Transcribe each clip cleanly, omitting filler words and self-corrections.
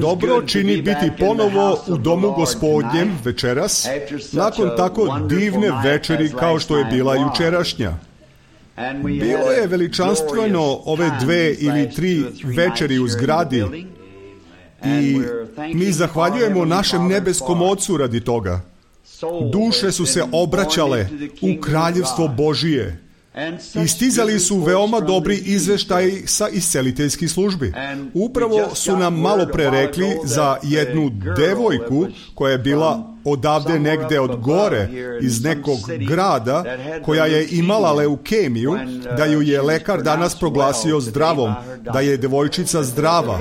Dobro čini biti ponovo u domu Gospodnjem večeras, nakon tako divne večeri kao što je bila jučerašnja. Bilo je veličanstveno ove 2 ili 3 večeri u zgradi i mi zahvaljujemo našem nebeskom Ocu radi toga. Duše su se obraćale u kraljevstvo Božije i stizali su veoma dobri izveštaji sa isceliteljskih službi. Upravo su nam malo pre rekli za jednu devojku koja je bila odavde negde od gore iz nekog grada, koja je imala leukemiju, da ju je lekar danas proglasio zdravom, da je devojčica zdrava.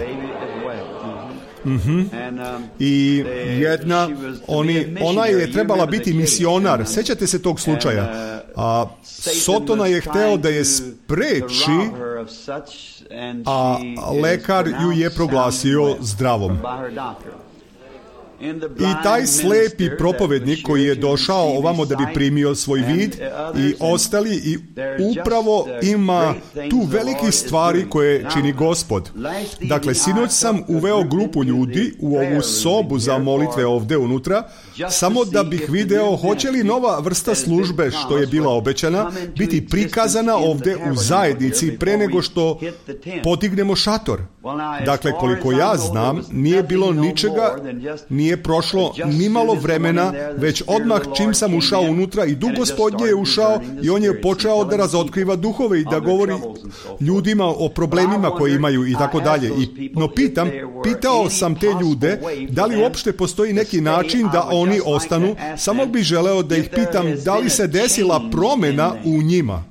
I ona je trebala biti misionar. Sećate se tog slučaja? A Sotona je hteo da je spreči, a lekar ju je proglasio zdravom. I taj slepi propovednik koji je došao ovamo da bi primio svoj vid i ostali, i upravo ima tu velikih stvari koje čini Gospod. Dakle, sinoć sam uveo grupu ljudi u ovu sobu za molitve ovde unutra, samo da bih video hoće li nova vrsta službe što je bila obećana biti prikazana ovde u zajednici pre nego što podignemo šator. Dakle, koliko ja znam, nije bilo ničega, nije prošlo ni malo vremena, već odmah čim sam ušao unutra i Duh Gospodnje je ušao i on je počeo da razotkriva duhove i da govori ljudima o problemima koje imaju i tako dalje. No pitao sam te ljude da li uopšte postoji neki način da oni ostanu, samo bih želeo da ih pitam da li se desila promena u njima,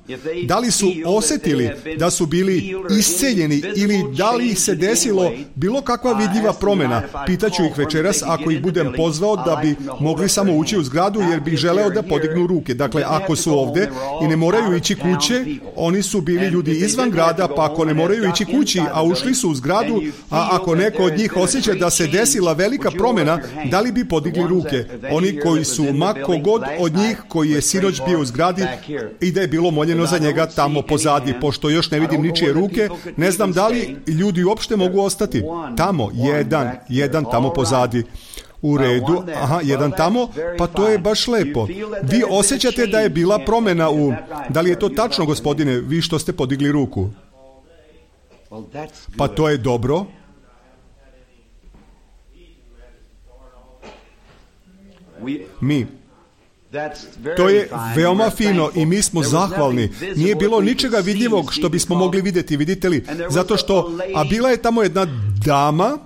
da li su osetili da su bili isceljeni ili da li se desilo bilo kakva vidljiva promena. Pitaću ih večeras ako ih budem pozvao da bi mogli samo ući u zgradu, jer bih želeo da podignu ruke. Dakle, ako su ovde i ne moraju ići kuće, oni su bili ljudi izvan grada, pa ako ne moraju ići kući, a ušli su u zgradu, a ako neko od njih osjeća da se desila velika promena, da li bi podigli ruke? Oni koji su, ma kogod od njih koji je sinoć bio u zgradi i da je bilo moljeno za njega tamo pozadi, pošto još ne vidim ničije ruke, ne znam da li ljudi uopšte mogu ostati. Tamo, jedan tamo pozadi. U redu, jedan tamo, pa to je baš lepo. Vi osjećate da je bila promena u... Da li je to tačno, gospodine, vi što ste podigli ruku? Pa to je dobro. To je veoma fino i mi smo zahvalni. Nije bilo ničega vidljivog što bismo mogli vidjeti, vidite li? Zato što, a bila je tamo jedna dama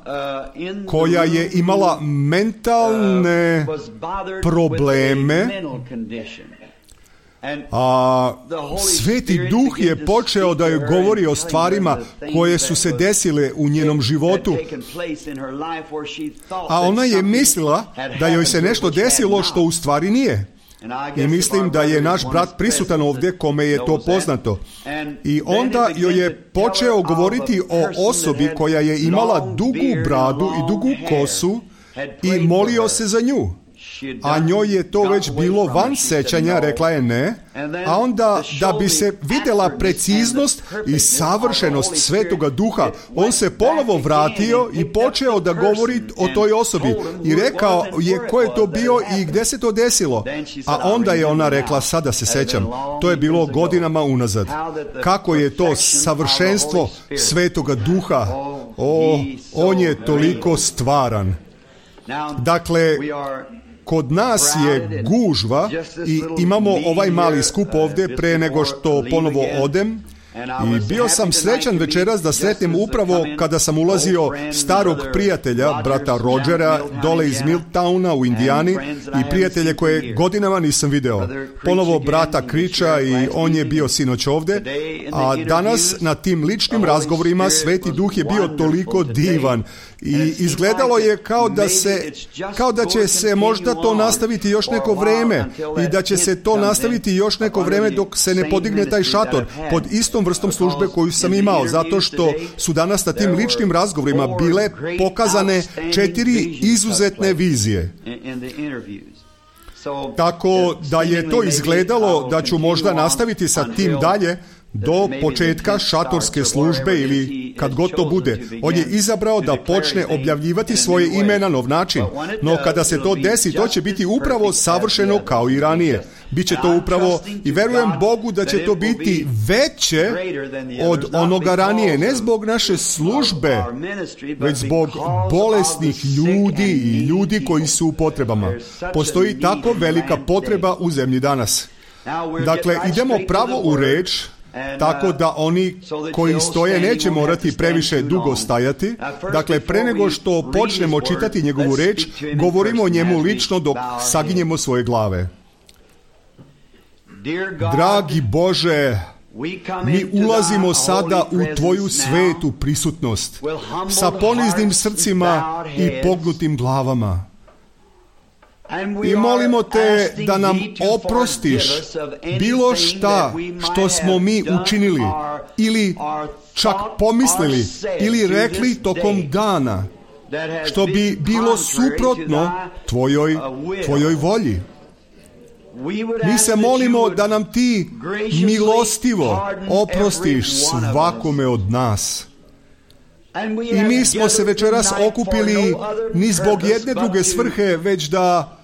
koja je imala mentalne probleme, a Sveti Duh je počeo da joj govori o stvarima koje su se desile u njenom životu, a ona je mislila da joj se nešto desilo što u stvari nije. I mislim da je naš brat prisutan ovdje kome je to poznato. I onda joj je počeo govoriti o osobi koja je imala dugu bradu i dugu kosu i molio se za nju. A njoj je to već bilo van sećanja, rekla je ne, a onda da bi se vidjela preciznost i savršenost Svetoga Duha, on se ponovo vratio i počeo da govori o toj osobi i rekao je ko je to bio i gdje se to desilo. A onda je ona rekla, sada se sećam, to je bilo godinama unazad. Kako je to savršenstvo Svetoga Duha, on je toliko stvaran. Dakle, kod nas je gužva i imamo ovaj mali skup ovdje pre nego što ponovo odem. I bio sam srećan večeras da sretnem upravo kada sam ulazio starog prijatelja, brata Rodgera, dole iz Milltowna u Indijani i prijatelje koje godinama nisam video. Ponovo brata Kriča i on je bio sinoć ovde, a danas na tim ličnim razgovorima Sveti Duh je bio toliko divan i izgledalo je kao da će se možda to nastaviti još neko vreme i da će se to nastaviti još neko vreme dok se ne podigne taj šator pod istom vrstom službe koju sam imao, zato što su danas na tim ličnim razgovorima bile pokazane 4 izuzetne vizije. Tako da je to izgledalo da ću možda nastaviti sa tim dalje, do početka šatorske službe ili kad god to bude. On je izabrao da počne objavljivati svoje ime na nov način. No kada se to desi, to će biti upravo savršeno kao i ranije. Biće to upravo, i verujem Bogu da će to biti veće od onoga ranije. Ne zbog naše službe, već zbog bolesnih ljudi i ljudi koji su u potrebama. Postoji tako velika potreba u zemlji danas. Dakle, idemo pravo u reč, tako da oni koji stoje neće morati previše dugo stajati. Dakle, pre nego što počnemo čitati njegovu reč, govorimo o njemu lično dok saginjemo svoje glave. Dragi Bože, mi ulazimo sada u Tvoju svetu prisutnost sa poniznim srcima i pognutim glavama. I molimo Te da nam oprostiš bilo šta što smo mi učinili ili čak pomislili ili rekli tokom dana, što bi bilo suprotno Tvojoj volji. Mi se molimo da nam Ti milostivo oprostiš svakome od nas. I mi smo se večeras okupili ni zbog jedne druge svrhe, već da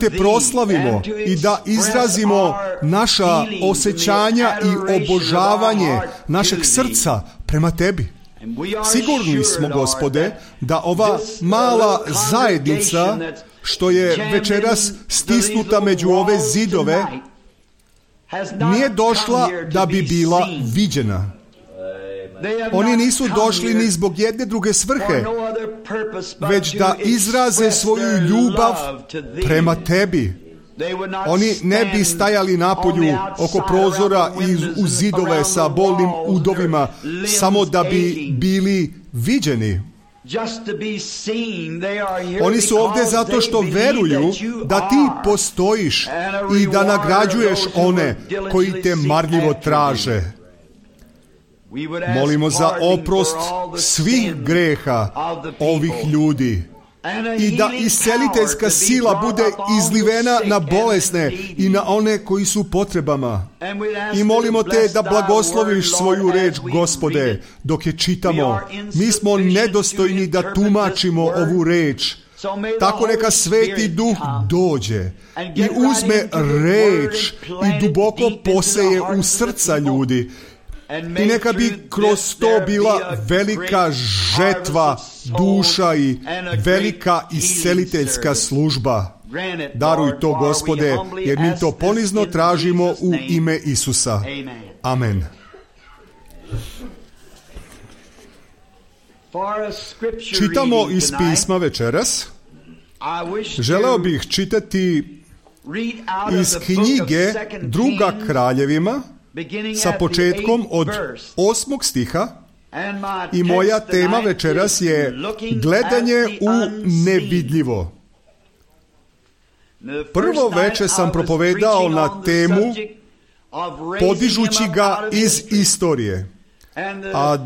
Te proslavimo i da izrazimo naša osjećanja i obožavanje našeg srca prema Tebi. Sigurni smo, Gospode, da ova mala zajednica što je večeras stisnuta među ove zidove nije došla da bi bila viđena. Oni nisu došli ni zbog jedne druge svrhe, već da izraze svoju ljubav prema Tebi. Oni ne bi stajali napolju oko prozora i u zidove sa bolnim udovima samo da bi bili viđeni. Oni su ovdje zato što veruju da Ti postojiš i da nagrađuješ one koji Te marljivo traže. Molimo za oprost svih greha ovih ljudi i da isceliteljska sila bude izlivena na bolesne i na one koji su u potrebama. I molimo Te da blagosloviš svoju reč, Gospode, dok je čitamo. Mi smo nedostojni da tumačimo ovu reč. Tako neka Sveti Duh dođe i uzme reč i duboko poseje u srca ljudi. I neka bi kroz to bila velika žetva duša i velika isceliteljska služba. Daruj to, Gospode, jer mi to ponizno tražimo u ime Isusa. Amen. Čitamo iz pisma večeras. Želeo bih čitati iz knjige Druga Kraljevima, sa početkom od 8. stiha, i moja tema večeras je gledanje u nevidljivo. Prvo veče sam propovedao na temu podižući ga iz istorije, a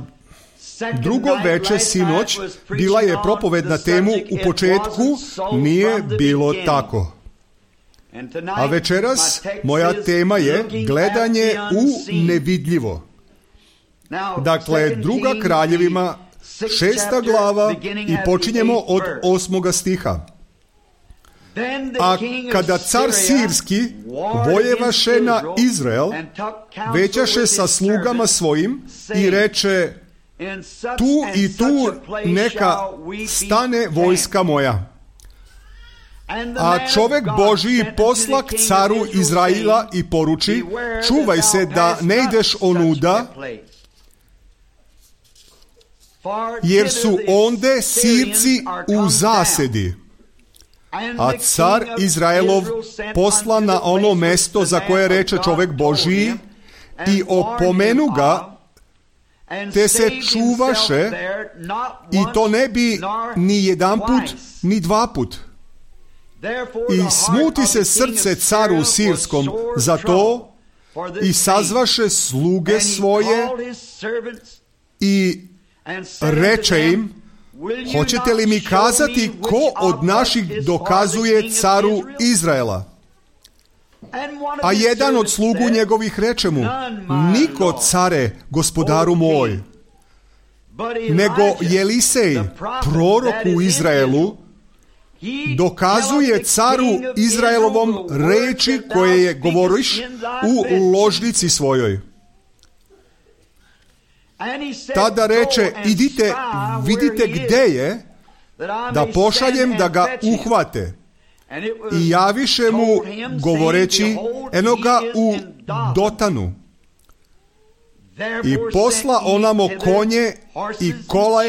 drugo veče sinoć bila je propoved na temu u početku nije bilo tako. A večeras moja tema je gledanje u nevidljivo. Dakle, Druga Kraljevima, 6. glava, i počinjemo od 8. stiha. A kada car Sirski vojevaše na Izrael, većaše sa slugama svojim i reče: tu i tu neka stane vojska moja. A čovek Božiji posla k caru Izraila i poruči: čuvaj se da ne ideš onuda, jer su onde Sirci u zasedi. A car Izraelov posla na ono mesto za koje reče čovek Božiji i opomenu ga, te se čuvaše, i to ne bi ni jedan put ni dva put. I smuti se srce caru Sirskom za to i sazvaše sluge svoje i reče im: hoćete li mi kazati ko od naših dokazuje caru Izraela? A jedan od slugu njegovih reče mu: niko, care, gospodaru moj, nego Jelisej, prorok u Izraelu, dokazuje caru Izraelovom reči koje je govoriš u ložnici svojoj. Tada reče: idite, vidite gde je, da pošaljem da ga uhvate. I javiše mu govoreći: eno ga u Dotanu. I posla onamo konje i kole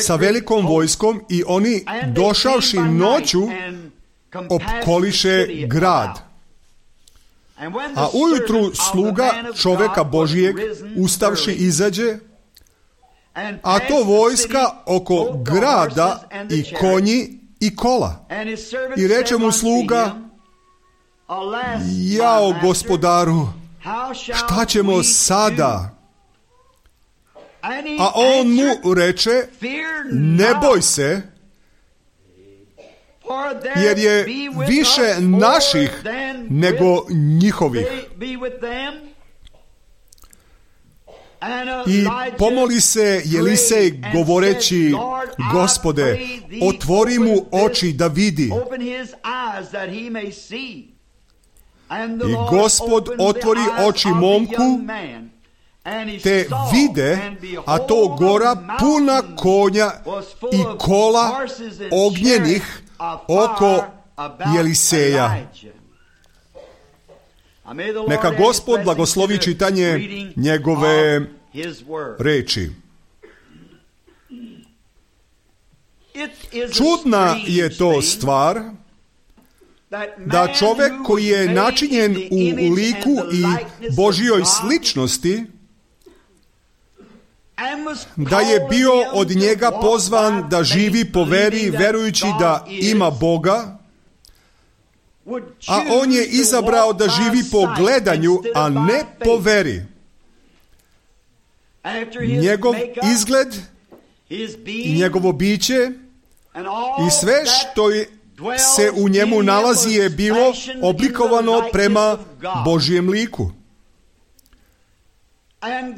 sa velikom vojskom, i oni došavši noću opkoliše grad. A ujutru sluga čoveka Božijeg ustavši izađe, a to vojska oko grada i konji i kola. I reče mu sluga: jao, gospodaru, šta ćemo sada? A on mu reče: ne boj se, jer je više naših nego njihovih. I pomoli se Jelisej govoreći: Gospode, otvori mu oči da vidi. I Gospod otvori oči momku, te vide, a to gora puna konja i kola ognjenih oko Jeliseja. Neka Gospod blagoslovi čitanje njegove reči. Čudna je to stvar da čovjek koji je načinjen u liku i Božjoj sličnosti, da je bio od njega pozvan da živi po veri, verujući da ima Boga, a on je izabrao da živi po gledanju, a ne po veri. Njegov izgled i njegovo biće i sve što se u njemu nalazi je bilo oblikovano prema Božjem liku.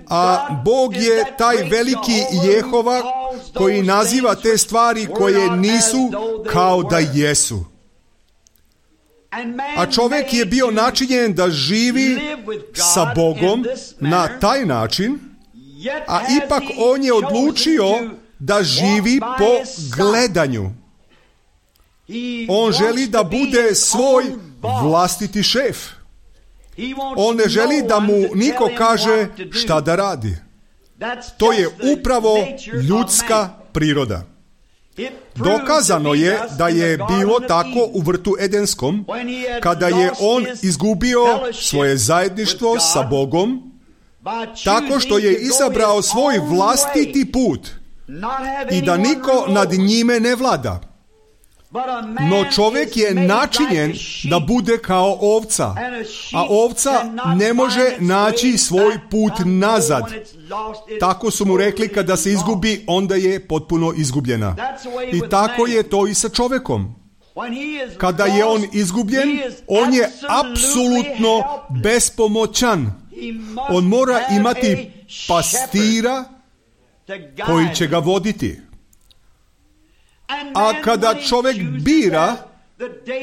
A Bog je taj veliki Jehova koji naziva te stvari koje nisu kao da jesu. A čovjek je bio načinjen da živi sa Bogom na taj način, a ipak on je odlučio da živi po gledanju. On želi da bude svoj vlastiti šef. On ne želi da mu niko kaže šta da radi. To je upravo ljudska priroda. Dokazano je da je bilo tako u vrtu Edenskom, kada je on izgubio svoje zajedništvo sa Bogom, tako što je izabrao svoj vlastiti put i da niko nad njime ne vlada. No čovjek je načinjen da bude kao ovca, a ovca ne može naći svoj put nazad. Tako su mu rekli: kada se izgubi, onda je potpuno izgubljena. I tako je to i sa čovjekom. Kada je on izgubljen, on je apsolutno bespomoćan. On mora imati pastira koji će ga voditi. A kada čovjek bira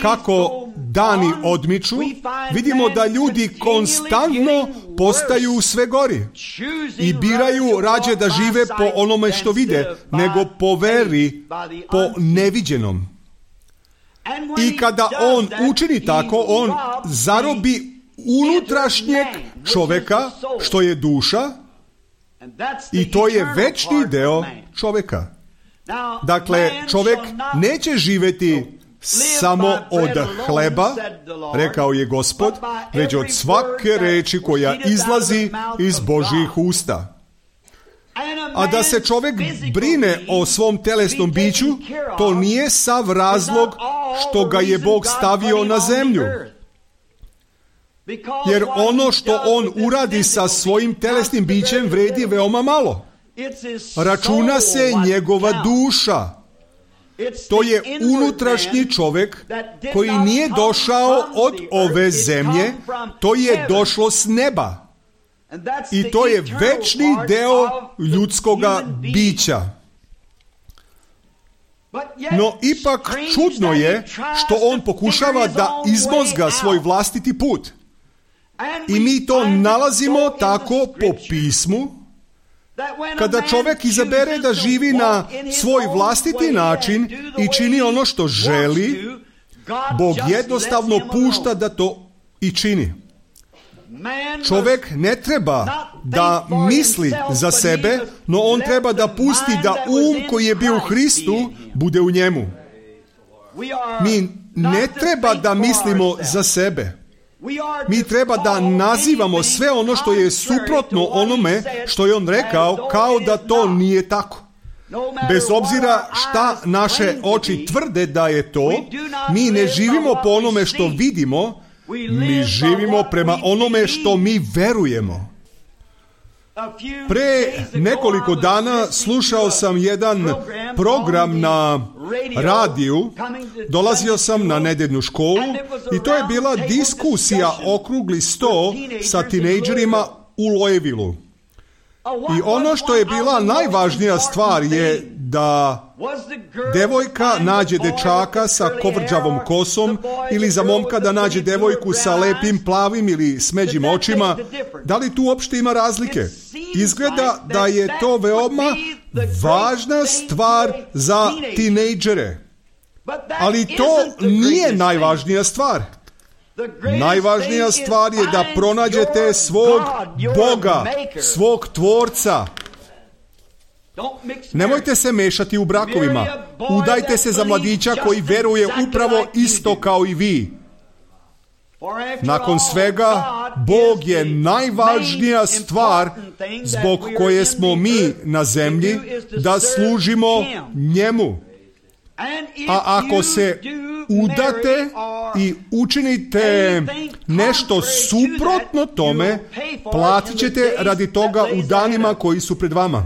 kako dani odmiču, vidimo da ljudi konstantno postaju sve gori i biraju rađe da žive po onome što vide, nego po veri, po neviđenom. I kada on učini tako, on zarobi unutrašnjeg čovjeka, što je duša, i to je večni deo čovjeka. Dakle, čovjek neće živjeti samo od hleba, rekao je Gospod, već od svake reči koja izlazi iz Božjih usta. A da se čovjek brine o svom telesnom biću, to nije sav razlog što ga je Bog stavio na zemlju. Jer ono što on uradi sa svojim telesnim bićem vredi veoma malo. Računa se njegova duša. To je unutrašnji čovjek koji nije došao od ove zemlje, to je došlo s neba. I to je večni deo ljudskoga bića. No ipak čudno je što on pokušava da izmozga svoj vlastiti put. I mi to nalazimo tako po pismu. Kada čovjek izabere da živi na svoj vlastiti način i čini ono što želi, Bog jednostavno pušta da to i čini. Čovjek ne treba da misli za sebe, no on treba da pusti da koji je bio u Hristu bude u njemu. Mi ne treba da mislimo za sebe. Mi treba da nazivamo sve ono što je suprotno onome što je on rekao, kao da to nije tako. Bez obzira šta naše oči tvrde da je to, mi ne živimo po onome što vidimo, mi živimo prema onome što mi verujemo. Pre nekoliko dana slušao sam jedan program na radiju, dolazio sam na nedeljnu školu i to je bila diskusija okrugli sto sa tinejdžerima u Louisvilleu. I ono što je bila najvažnija stvar je da devojka nađe dečaka sa kovrđavom kosom ili za momka da nađe devojku sa lepim plavim ili smeđim očima. Da li tu uopšte ima razlike? Izgleda da je to veoma važna stvar za tinejdžere. Ali to nije najvažnija stvar. Najvažnija stvar je da pronađete svog Boga, svog Tvorca. Nemojte se mešati u brakovima. Udajte se za mladića koji veruje upravo isto kao i vi. Nakon svega, Bog je najvažnija stvar zbog koje smo mi na zemlji, da služimo njemu. A ako se udate i učinite nešto suprotno tome, platit ćete radi toga u danima koji su pred vama.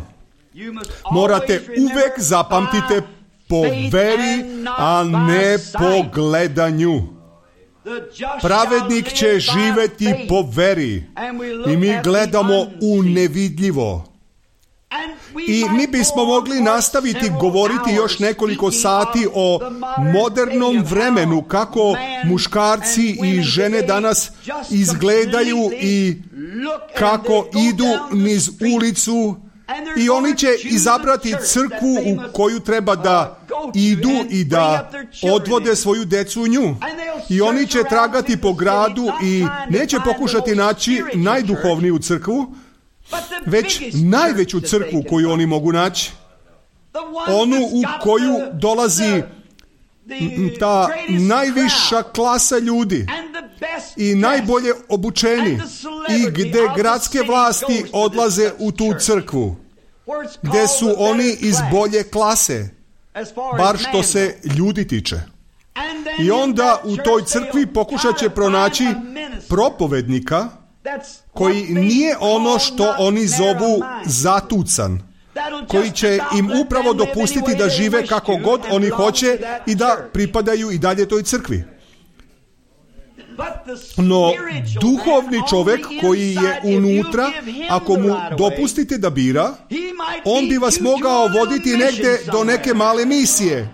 Morate uvek zapamtite po veri, a ne po gledanju. Pravednik će živeti po veri i mi gledamo u nevidljivo. I mi bismo mogli nastaviti govoriti još nekoliko sati o modernom vremenu, kako muškarci i žene danas izgledaju i kako idu niz ulicu, i oni će izabrati crkvu u koju treba da idu i da odvode svoju decu u nju. I oni će tragati po gradu i neće pokušati naći najduhovniju crkvu, već najveću crkvu koju oni mogu naći. Onu u koju dolazi ta najviša klasa ljudi i najbolje obučeni i gde gradske vlasti odlaze u tu crkvu, gde su oni iz bolje klase, bar što se ljudi tiče. I onda u toj crkvi pokušat će pronaći propovednika koji nije ono što oni zovu zatucan, koji će im upravo dopustiti da žive kako god oni hoće i da pripadaju i dalje toj crkvi. No, duhovni čovjek koji je unutra, ako mu dopustite da bira, on bi vas mogao voditi negde do neke male misije,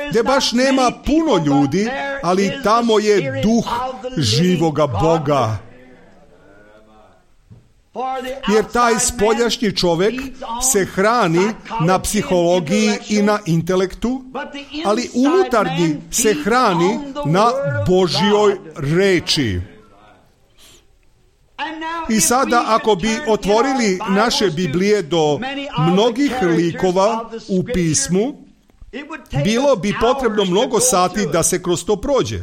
gdje baš nema puno ljudi, ali tamo je duh živoga Boga. Jer taj spoljašnji čovjek se hrani na psihologiji i na intelektu, ali unutarnji se hrani na Božjoj reči. I sada ako bi otvorili naše Biblije do mnogih likova u pismu, bilo bi potrebno mnogo sati da se kroz to prođe.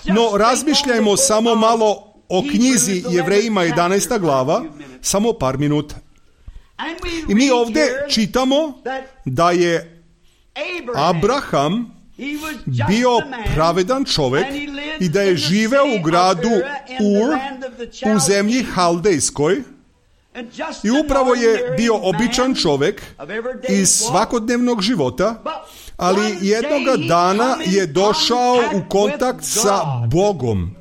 No razmišljajmo samo malo o knjizi Jevrejima 11. glava, samo par minuta. I mi ovdje čitamo da je Abraham bio pravedan čovjek i da je živeo u gradu Ur u zemlji Haldejskoj I upravo je bio običan čovjek iz svakodnevnog života, ali jednoga dana je došao u kontakt sa Bogom.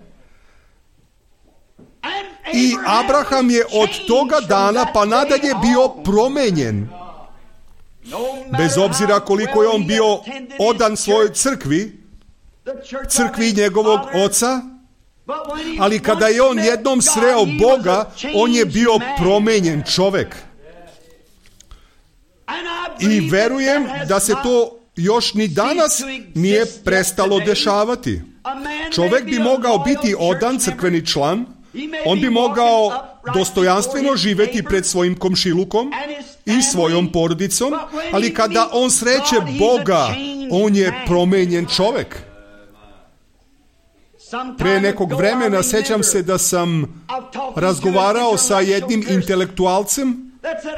I Abraham je od toga dana pa nadalje bio promenjen. Bez obzira koliko je on bio odan svojoj crkvi njegovog oca, ali kada je on jednom sreo Boga, on je bio promenjen čovjek. I verujem da se to još ni danas nije prestalo dešavati. Čovjek bi mogao biti odan crkveni član, on bi mogao dostojanstveno živjeti pred svojim komšilukom i svojom porodicom, ali kada on sreće Boga, on je promenjen čovjek. Pre nekog vremena sjećam se da sam razgovarao sa jednim intelektualcem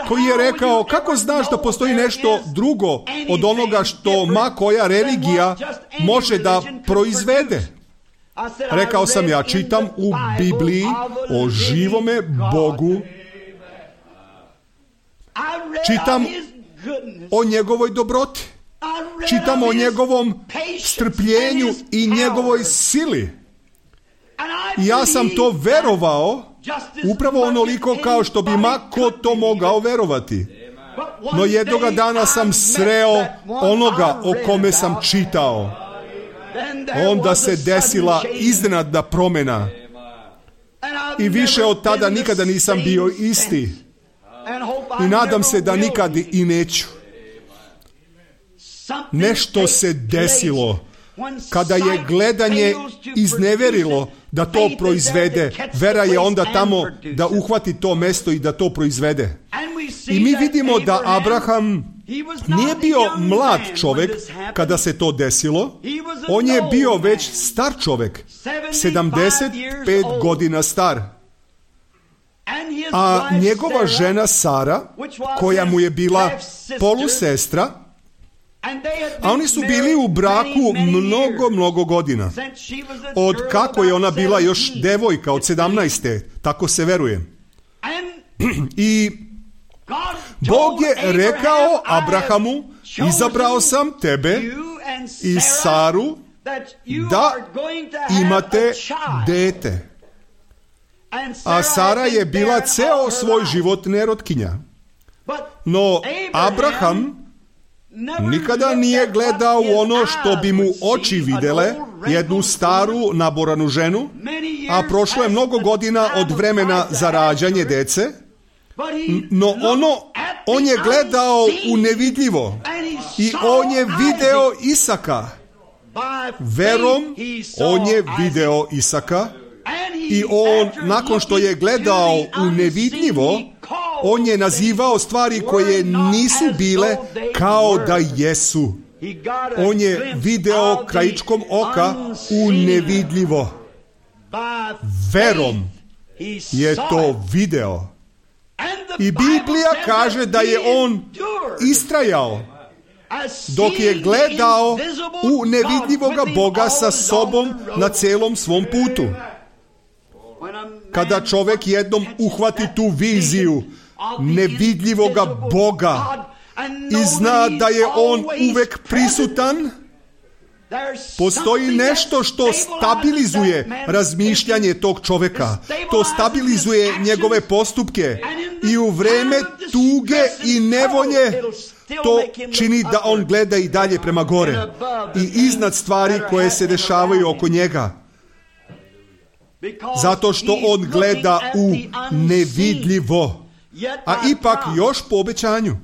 koji je rekao, kako znaš da postoji nešto drugo od onoga što ma koja religija može da proizvede? Rekao sam, ja čitam u Bibliji o živome Bogu, čitam o njegovoj dobroti, čitam o njegovom strpljenju i njegovoj sili. I ja sam to verovao upravo onoliko kao što bi ma ko to mogao verovati. No jednoga dana sam sreo onoga o kome sam čitao. Onda se desila iznenadna promjena. I više od tada nikada nisam bio isti. I nadam se da nikad i neću. Nešto se desilo kada je gledanje izneverilo da to proizvede. Vera je onda tamo da uhvati to mesto i da to proizvede. I mi vidimo da Abraham nije bio mlad čovjek kada se to desilo. On je bio već star čovjek, 75 godina star. A njegova žena Sara, koja mu je bila polusestra, a oni su bili u braku mnogo godina. Od kako je ona bila još devojka, od 17. Tako se veruje. I Bog je rekao Abrahamu, izabrao sam tebe i Saru da imate dete. A Sara je bila ceo svoj život nerotkinja. No Abraham nikada nije gledao u ono što bi mu oči videle, jednu staru naboranu ženu, a prošlo je mnogo godina od vremena za rađanje dece, no on je gledao u nevidljivo i on je video Isaka. Verom on je video Isaka i on, nakon što je gledao u nevidljivo, on je nazivao stvari koje nisu bile kao da jesu. On je video krajičkom oka u nevidljivo. Verom je to video. I Biblija kaže da je on istrajao dok je gledao u nevidljivoga Boga sa sobom na celom svom putu. Kada čovjek jednom uhvati tu viziju nevidljivoga Boga i zna da je on uvek prisutan, postoji nešto što stabilizuje razmišljanje tog čovjeka. To stabilizuje njegove postupke i u vreme tuge i nevolje to čini da on gleda i dalje prema gore i iznad stvari koje se dešavaju oko njega. Zato što on gleda u nevidljivo, a ipak još po obećanju.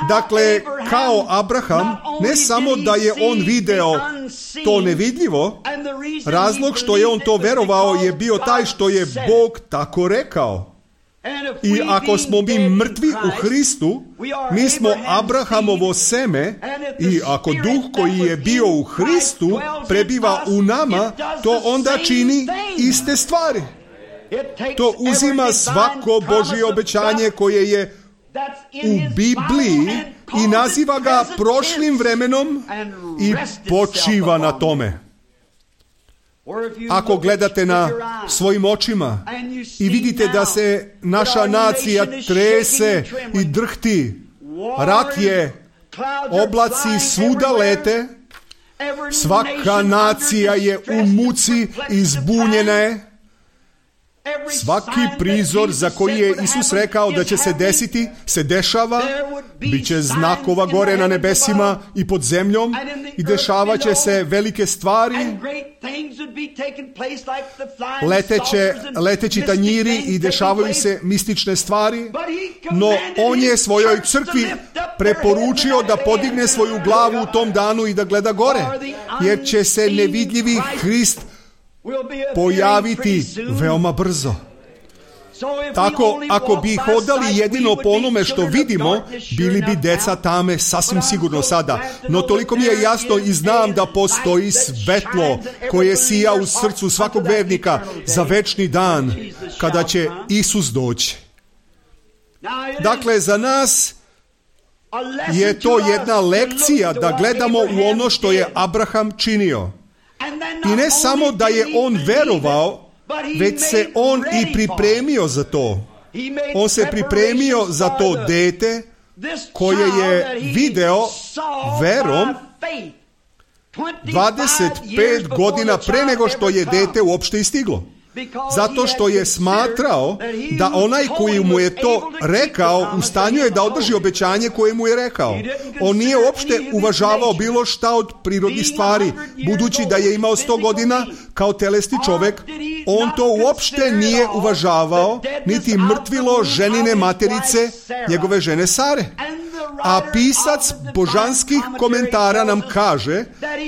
Dakle, kao Abraham, ne samo da je on video to nevidljivo, razlog što je on to verovao je bio taj što je Bog tako rekao. I ako smo mi mrtvi u Hristu, mi smo Abrahamovo seme, i ako duh koji je bio u Hristu prebiva u nama, to onda čini iste stvari. To uzima svako Božje obećanje koje je u Bibliji i naziva ga prošlim vremenom i počiva na tome. Ako gledate na svojim očima i vidite da se naša nacija trese i drhti, rat je, oblaci svuda lete, svaka nacija je u muci i zbunjena je. Svaki prizor za koji je Isus rekao da će se desiti, se dešava. Biće znakova gore na nebesima i pod zemljom i dešavat će se velike stvari. Leteći tanjiri i dešavaju se mistične stvari. No on je svojoj crkvi preporučio da podigne svoju glavu u tom danu i da gleda gore, jer će se nevidljivi Hrist pojaviti veoma brzo. Tako, ako bi hodali jedino po onome što vidimo, bili bi deca tame sasvim sigurno sada. No toliko mi je jasno i znam da postoji svetlo koje sija u srcu svakog vernika za večni dan kada će Isus doći. Dakle, za nas je to jedna lekcija da gledamo u ono što je Abraham činio. I ne samo da je on verovao, već se on i pripremio za to. On se pripremio za to dete koje je video verom 25 godina pre nego što je dete uopšte istiglo. Zato što je smatrao da onaj koji mu je to rekao u stanju je da održi obećanje koje mu je rekao. On nije uopšte uvažavao bilo šta od prirodnih stvari. Budući da je imao 100 godina kao telesni čovek, on to uopšte nije uvažavao, niti mrtvilo ženine materice, njegove žene Sare. A pisac božanskih komentara nam kaže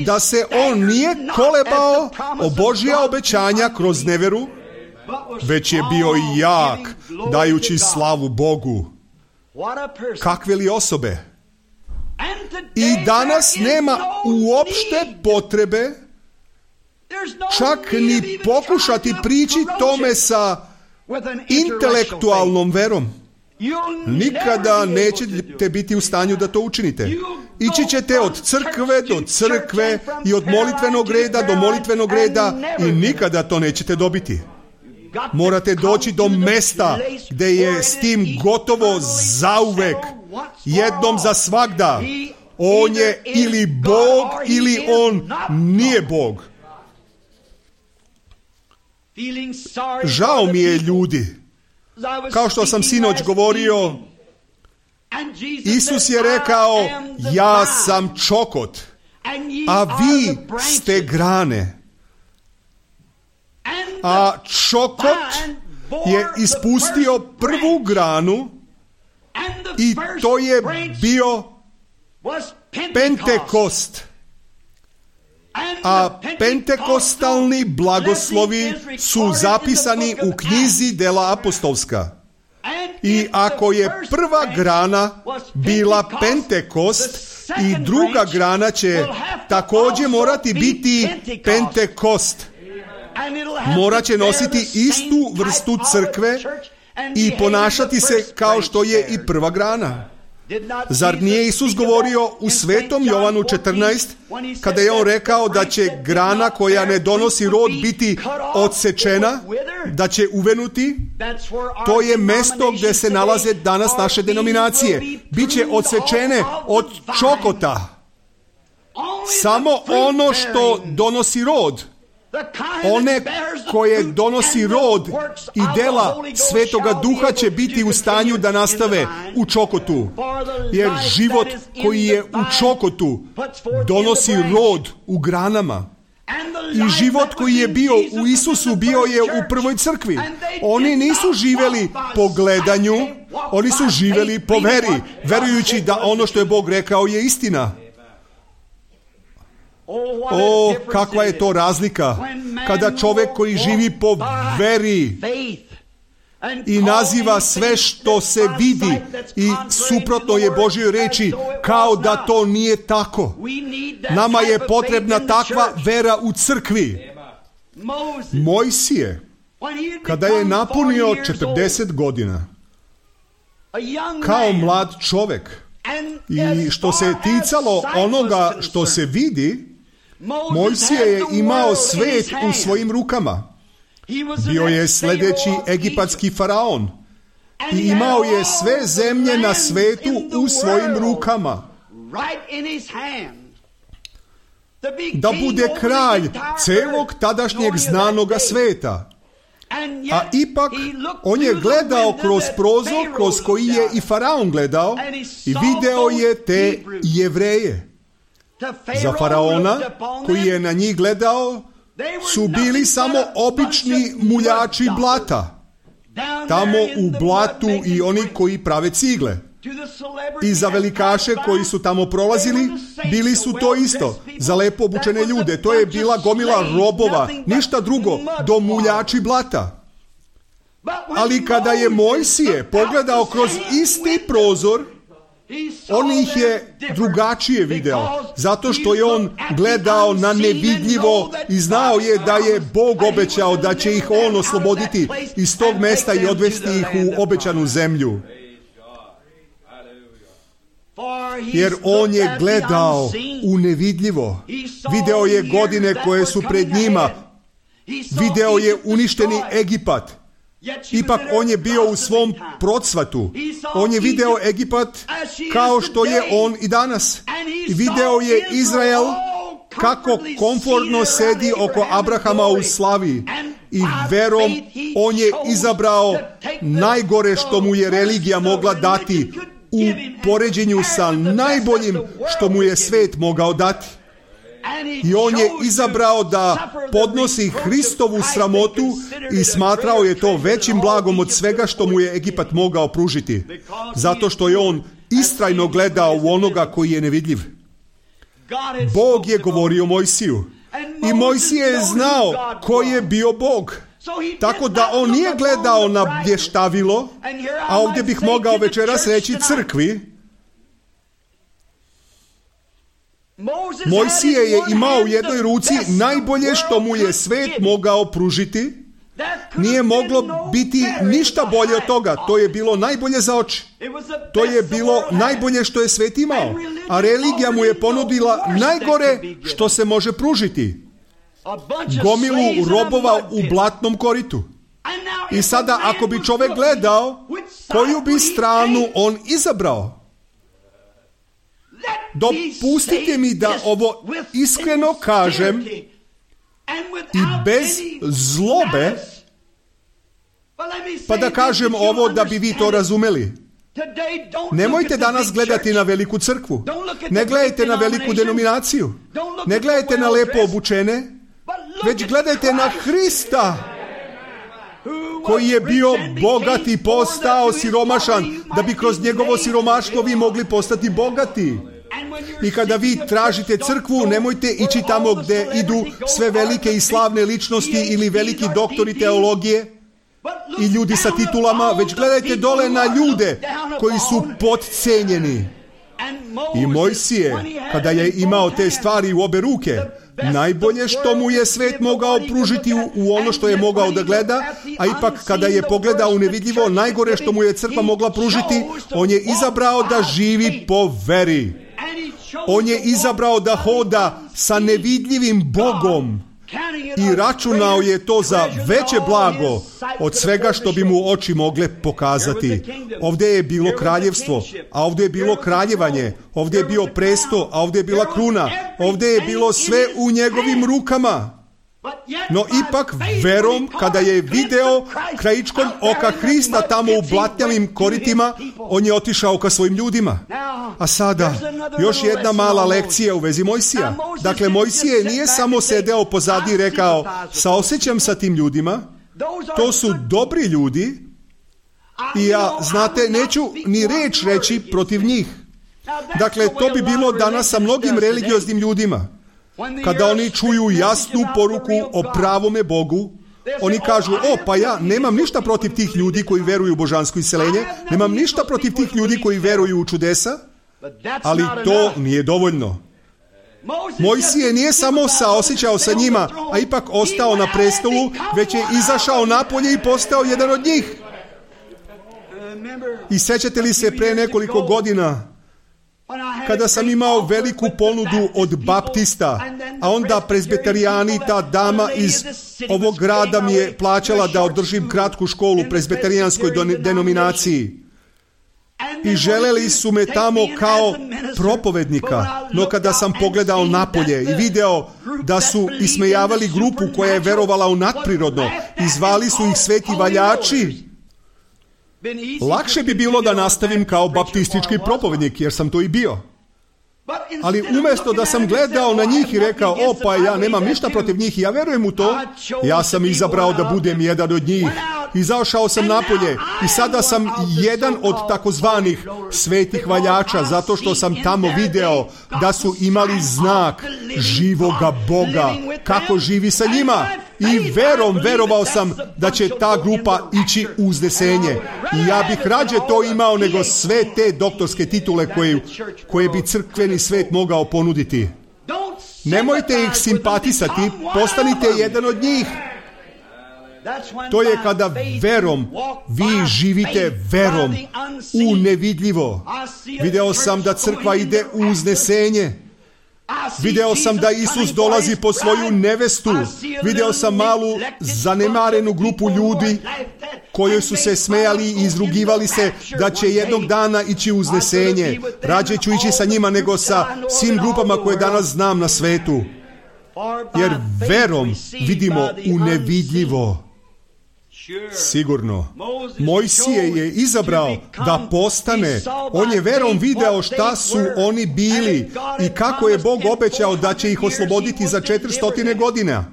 da se on nije kolebao o Božja obećanja kroz neveru, već je bio jak, dajući slavu Bogu. Kakve li osobe? I danas nema uopšte potrebe čak ni pokušati prići tome sa intelektualnom verom. Nikada nećete biti u stanju da to učinite. Ići ćete od crkve do crkve i od molitvenog reda do molitvenog reda i nikada to nećete dobiti. Morate doći do mesta gde je s tim gotovo zauvek, jednom za svagda. On je ili Bog ili on nije Bog. Žao mi je ljudi. Kao što sam sinoć govorio, Isus je rekao, ja sam čokot, a vi ste grane. A čokot je ispustio prvu granu i to je bio Pentekost. A pentekostalni blagoslovi su zapisani u knjizi Dela apostolska. I ako je prva grana bila Pentekost i druga grana će također morati biti Pentekost. Morat će nositi istu vrstu crkve i ponašati se kao što je i prva grana. Zar nije Isus govorio u Svetom Jovanu 14, kada je on rekao da će grana koja ne donosi rod biti odsečena, da će uvenuti? To je mesto gdje se nalaze danas naše denominacije. Biće odsečene od čokota. Samo ono što donosi rod. One koje donosi rod i dela Svetoga Duha će biti u stanju da nastave u čokotu. Jer život koji je u čokotu donosi rod u granama. I život koji je bio u Isusu bio je u prvoj crkvi. Oni nisu živjeli po gledanju, oni su živjeli po veri, verujući da ono što je Bog rekao je istina. O, kakva je to razlika kada čovjek koji živi po veri i naziva sve što se vidi i suprotno je Božjoj reči kao da to nije tako. Nama je potrebna takva vera u crkvi. Mojsije, kada je napunio 40 godina, kao mlad čovjek, i što se ticalo onoga što se vidi, Mojsije je imao svet u svojim rukama. Bio je sljedeći egipatski faraon i imao je sve zemlje na svetu u svojim rukama. Da bude kralj celog tadašnjeg znanoga sveta. A ipak on je gledao kroz prozor kroz koji je i faraon gledao i video je te Jevreje. Za faraona koji je na njih gledao su bili samo obični muljači blata. Tamo u blatu i oni koji prave cigle. I za velikaše koji su tamo prolazili, bili su to isto. Za lepo obučene ljude, to je bila gomila robova, ništa drugo, do muljači blata. Ali kada je Mojsije pogledao kroz isti prozor, on ih je drugačije video, zato što je on gledao na nevidljivo i znao je da je Bog obećao da će ih on osloboditi iz tog mesta i odvesti ih u obećanu zemlju. Jer on je gledao u nevidljivo. Video je godine koje su pred njima. Video je uništeni Egipat. Ipak on je bio u svom procvatu. On je video Egipat kao što je on i danas. I video je Izrael kako komfortno sedi oko Abrahama u slavi. I verom on je izabrao najgore što mu je religija mogla dati u poređenju sa najboljim što mu je svet mogao dati. I on je izabrao da podnosi Hristovu sramotu i smatrao je to većim blagom od svega što mu je Egipat mogao pružiti. Zato što je on istrajno gledao u onoga koji je nevidljiv. Bog je govorio Mojsiju. I Mojsije je znao ko je bio Bog. Tako da on nije gledao na blještavilo, a ovdje bih mogao večeras reći crkvi. Mojsije je imao u jednoj ruci najbolje što mu je svet mogao pružiti. Nije moglo biti ništa bolje od toga. To je bilo najbolje za oči. To je bilo najbolje što je svet imao. A religija mu je ponudila najgore što se može pružiti. Gomilu robova u blatnom koritu. I sada ako bi čovjek gledao, koju bi stranu on izabrao? Dopustite mi da ovo iskreno kažem i bez zlobe, pa da kažem ovo da bi vi to razumeli. Nemojte danas gledati na veliku crkvu. Ne gledajte na veliku denominaciju. Ne gledajte na lepo obučene, već gledajte na Hrista, koji je bio bogat i postao siromašan, da bi kroz njegovo siromaštvo vi mogli postati bogati. I kada vi tražite crkvu, nemojte ići tamo gdje idu sve velike i slavne ličnosti ili veliki doktori teologije i ljudi sa titulama, već gledajte dole na ljude koji su podcenjeni. I Mojsije, kada je imao te stvari u obe ruke, najbolje što mu je svet mogao pružiti u ono što je mogao da gleda, a ipak kada je pogledao u nevidljivo, najgore što mu je crkva mogla pružiti, on je izabrao da živi po veri. On je izabrao da hoda sa nevidljivim Bogom i računao je to za veće blago od svega što bi mu oči mogle pokazati. Ovdje je bilo kraljevstvo, a ovdje je bilo kraljevanje, ovdje je bio presto, a ovdje je bila kruna, ovdje je bilo sve u njegovim rukama. No ipak verom, kada je video krajičkom oka Hrista tamo u blatnjavim koritima, on je otišao ka svojim ljudima. A sada, još jedna mala lekcija u vezi Mojsija. Dakle, Mojsije nije samo sedeo pozadi i rekao, saosjećam sa tim ljudima, to su dobri ljudi i ja, znate, neću ni reč reći protiv njih. Dakle, to bi bilo danas sa mnogim religioznim ljudima. Kada oni čuju jasnu poruku o pravome Bogu, oni kažu, pa ja nemam ništa protiv tih ljudi koji veruju u božansko iseljenje, nemam ništa protiv tih ljudi koji veruju u čudesa, ali to nije dovoljno. Mojsije nije samo saosjećao sa njima, a ipak ostao na prestolu, već je izašao napolje i postao jedan od njih. I sjećate li se pre nekoliko godina, kada sam imao veliku ponudu od baptista, a onda prezbiterijani, ta dama iz ovog grada mi je plaćala da održim kratku školu u prezbiterijanskoj denominaciji. I želeli su me tamo kao propovednika, no kada sam pogledao napolje i video da su ismejavali grupu koja je verovala u nadprirodno i zvali su ih sveti valjači, lakše bi bilo da nastavim kao baptistički propovednik, jer sam to i bio. Ali umjesto da sam gledao na njih i rekao, pa ja nemam ništa protiv njih i ja verujem u to, ja sam izabrao da budem jedan od njih. Izašao sam napolje i sada sam jedan od takozvanih svetih valjača, zato što sam tamo video da su imali znak živoga Boga, kako živi sa njima. I verovao sam da će ta grupa ići u uznesenje. I ja bih rađe to imao nego sve te doktorske titule koje bi crkveni svet mogao ponuditi. Nemojte ih simpatisati, postanite jedan od njih. To je kada verom, vi živite verom u nevidljivo. Video sam da crkva ide u uznesenje. Video sam da Isus dolazi po svoju nevestu. Video sam malu zanemarenu grupu ljudi koji su se smejali i izrugivali se da će jednog dana ići u uznesenje. Rađe ću ići sa njima nego sa svim grupama koje danas znam na svetu. Jer verom vidimo u nevidljivo. Sigurno. Mojsije je izabrao da postane. On je verom video šta su oni bili i kako je Bog obećao da će ih osloboditi za 400 godina.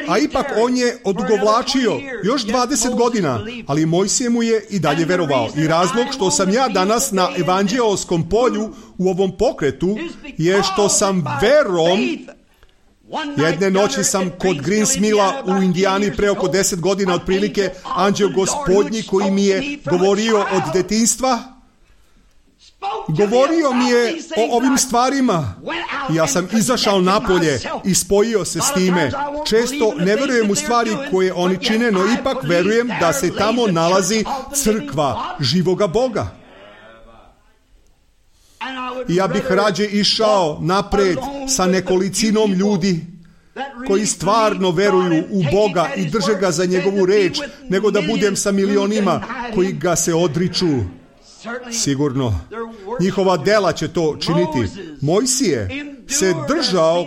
A ipak on je odugovlačio još 20 godina, ali Mojsije mu je i dalje verovao. I razlog što sam ja danas na evanđeoskom polju u ovom pokretu je što sam verom. Jedne noći sam kod Greensmilla u Indijani pre oko 10 godina otprilike, anđeo Gospodnji koji mi je govorio od detinjstva, govorio mi je o ovim stvarima. Ja sam izašao napolje i spojio se s time. Često ne verujem u stvari koje oni čine, no ipak verujem da se tamo nalazi crkva živoga Boga. I ja bih rađe išao napred sa nekolicinom ljudi koji stvarno veruju u Boga i drže ga za njegovu reč, nego da budem sa milionima koji ga se odriču. Sigurno. Njihova dela će to činiti. Mojsije se držao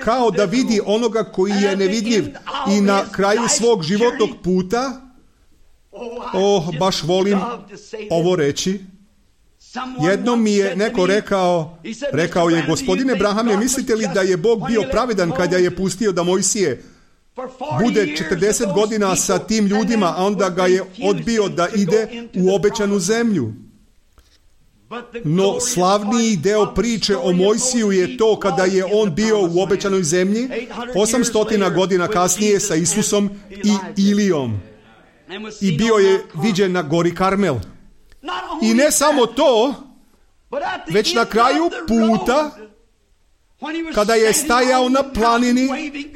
kao da vidi onoga koji je nevidljiv i na kraju svog životnog puta, baš volim ovo reći, jednom mi je neko rekao je, gospodine Brahame, mislite li da je Bog bio pravedan kada je pustio da Mojsije bude 40 godina sa tim ljudima, a onda ga je odbio da ide u obećanu zemlju? No slavniji deo priče o Mojsiju je to kada je on bio u obećanoj zemlji 800 godina kasnije sa Isusom i Ilijom. I bio je viđen na gori Karmel. I ne samo to, već na kraju puta, kada je stajao na planini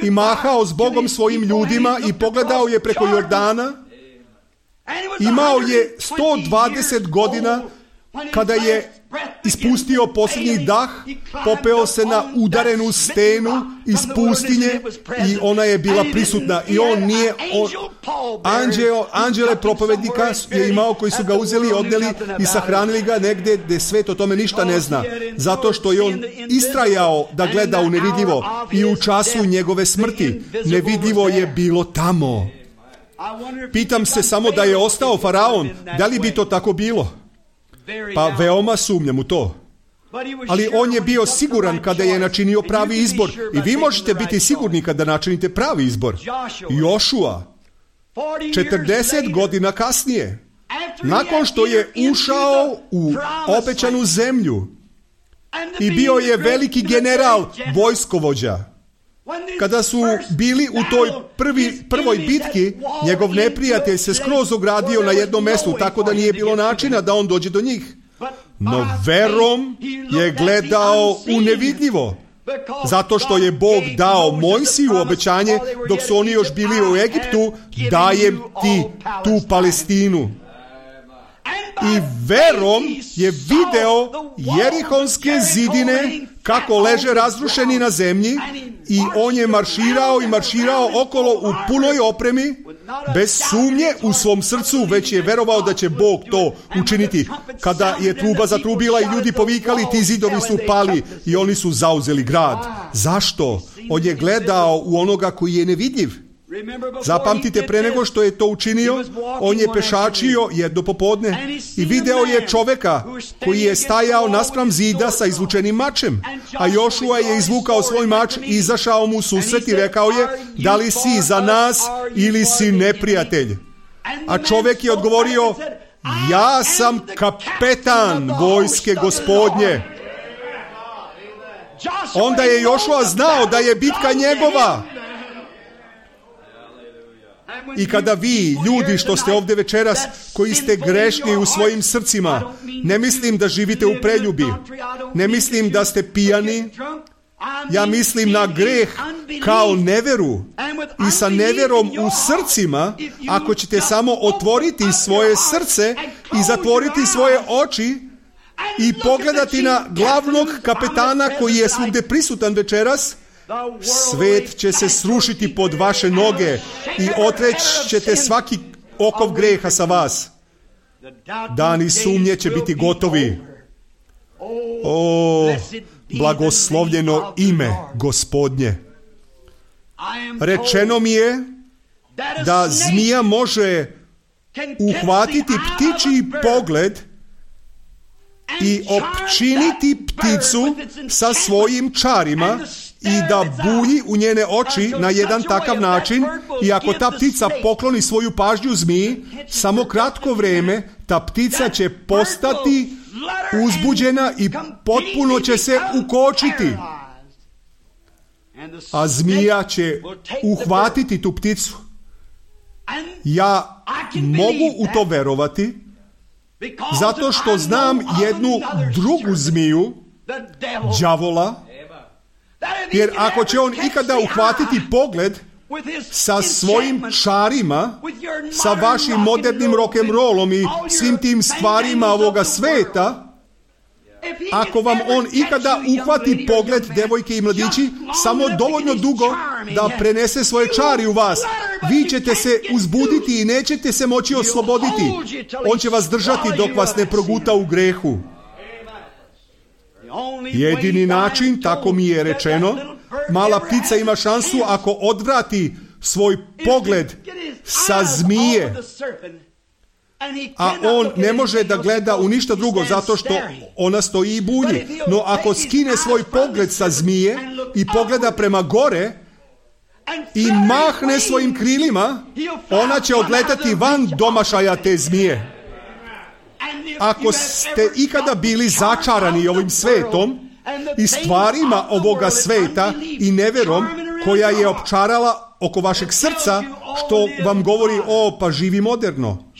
i mahao s Bogom svojim ljudima i pogledao je preko Jordana, imao je 120 godina. Kada je ispustio posljednji dah, popeo se na udarenu stenu iz pustinje i ona je bila prisutna. I on nije... Anđele propovednika je imao koji su ga uzeli, odneli i sahranili ga negdje gdje svet o tome ništa ne zna. Zato što je on istrajao da gleda u nevidljivo i u času njegove smrti. Nevidljivo je bilo tamo. Pitam se samo da je ostao faraon, da li bi to tako bilo? Pa veoma sumnjam u to. Ali on je bio siguran kada je načinio pravi izbor. I vi možete biti sigurni kada načinite pravi izbor. Jošua, 40 godina kasnije, nakon što je ušao u obećanu zemlju i bio je veliki general, vojskovođa, kada su bili u toj prvoj bitki, njegov neprijatelj se skroz ogradio na jednom mjestu, tako da nije bilo načina da on dođe do njih. No verom je gledao u nevidljivo, zato što je Bog dao Mojsiju obećanje dok su oni još bili u Egiptu, dajem ti tu Palestinu. i verom je video jerihonske zidine kako leže razrušeni na zemlji i on je marširao okolo u punoj opremi, bez sumnje u svom srcu, već je verovao da će Bog to učiniti. Kada je truba zatrubila i ljudi povikali, ti zidovi su pali i oni su zauzeli grad. Zašto? On je gledao u onoga koji je nevidljiv. Zapamtite, pre nego što je to učinio, on je pešačio jedno popodne i video je čoveka koji je stajao naspram zida sa izvučenim mačem, a Jošua je izvukao svoj mač i izašao mu u susret i rekao je, da li si za nas ili si neprijatelj? A čovek je odgovorio, ja sam kapetan vojske Gospodnje. Onda je Jošua znao da je bitka njegova. I kada vi, ljudi što ste ovdje večeras, koji ste grešni u svojim srcima, ne mislim da živite u preljubi, ne mislim da ste pijani, ja mislim na greh kao neveru. I sa neverom u srcima, ako ćete samo otvoriti svoje srce i zatvoriti svoje oči i pogledati na glavnog kapetana koji je svugdje prisutan večeras, svet će se srušiti pod vaše noge i otreći ćete svaki okov greha sa vas. Dani sumnje će biti gotovi. O, blagoslovljeno ime Gospodnje. Rečeno mi je da zmija može uhvatiti ptičji pogled i opčiniti pticu sa svojim čarima i da bulji u njene oči na jedan takav način, i ako ta ptica pokloni svoju pažnju zmiji, samo kratko vreme ta ptica će postati uzbuđena i potpuno će se ukočiti. A zmija će uhvatiti tu pticu. Ja mogu u to verovati, zato što znam jednu drugu zmiju, đavola, jer ako će on ikada uhvatiti pogled sa svojim čarima, sa vašim modernim rock'n'rollom i svim tim stvarima ovoga sveta, ako vam on ikada uhvati pogled, devojke i mladići, samo dovoljno dugo da prenese svoje čari u vas, vi ćete se uzbuditi i nećete se moći osloboditi. On će vas držati dok vas ne proguta u grehu. Jedini način, tako mi je rečeno, mala ptica ima šansu ako odvrati svoj pogled sa zmije, a on ne može da gleda u ništa drugo zato što ona stoji i bulji. No ako skine svoj pogled sa zmije i pogleda prema gore i mahne svojim krilima, ona će odletati van domašaja te zmije. Ako ste ikada bili začarani ovim svetom i stvarima ovoga sveta i neverom koja je opčarala oko vašeg srca, što vam govori, pa živi moderno.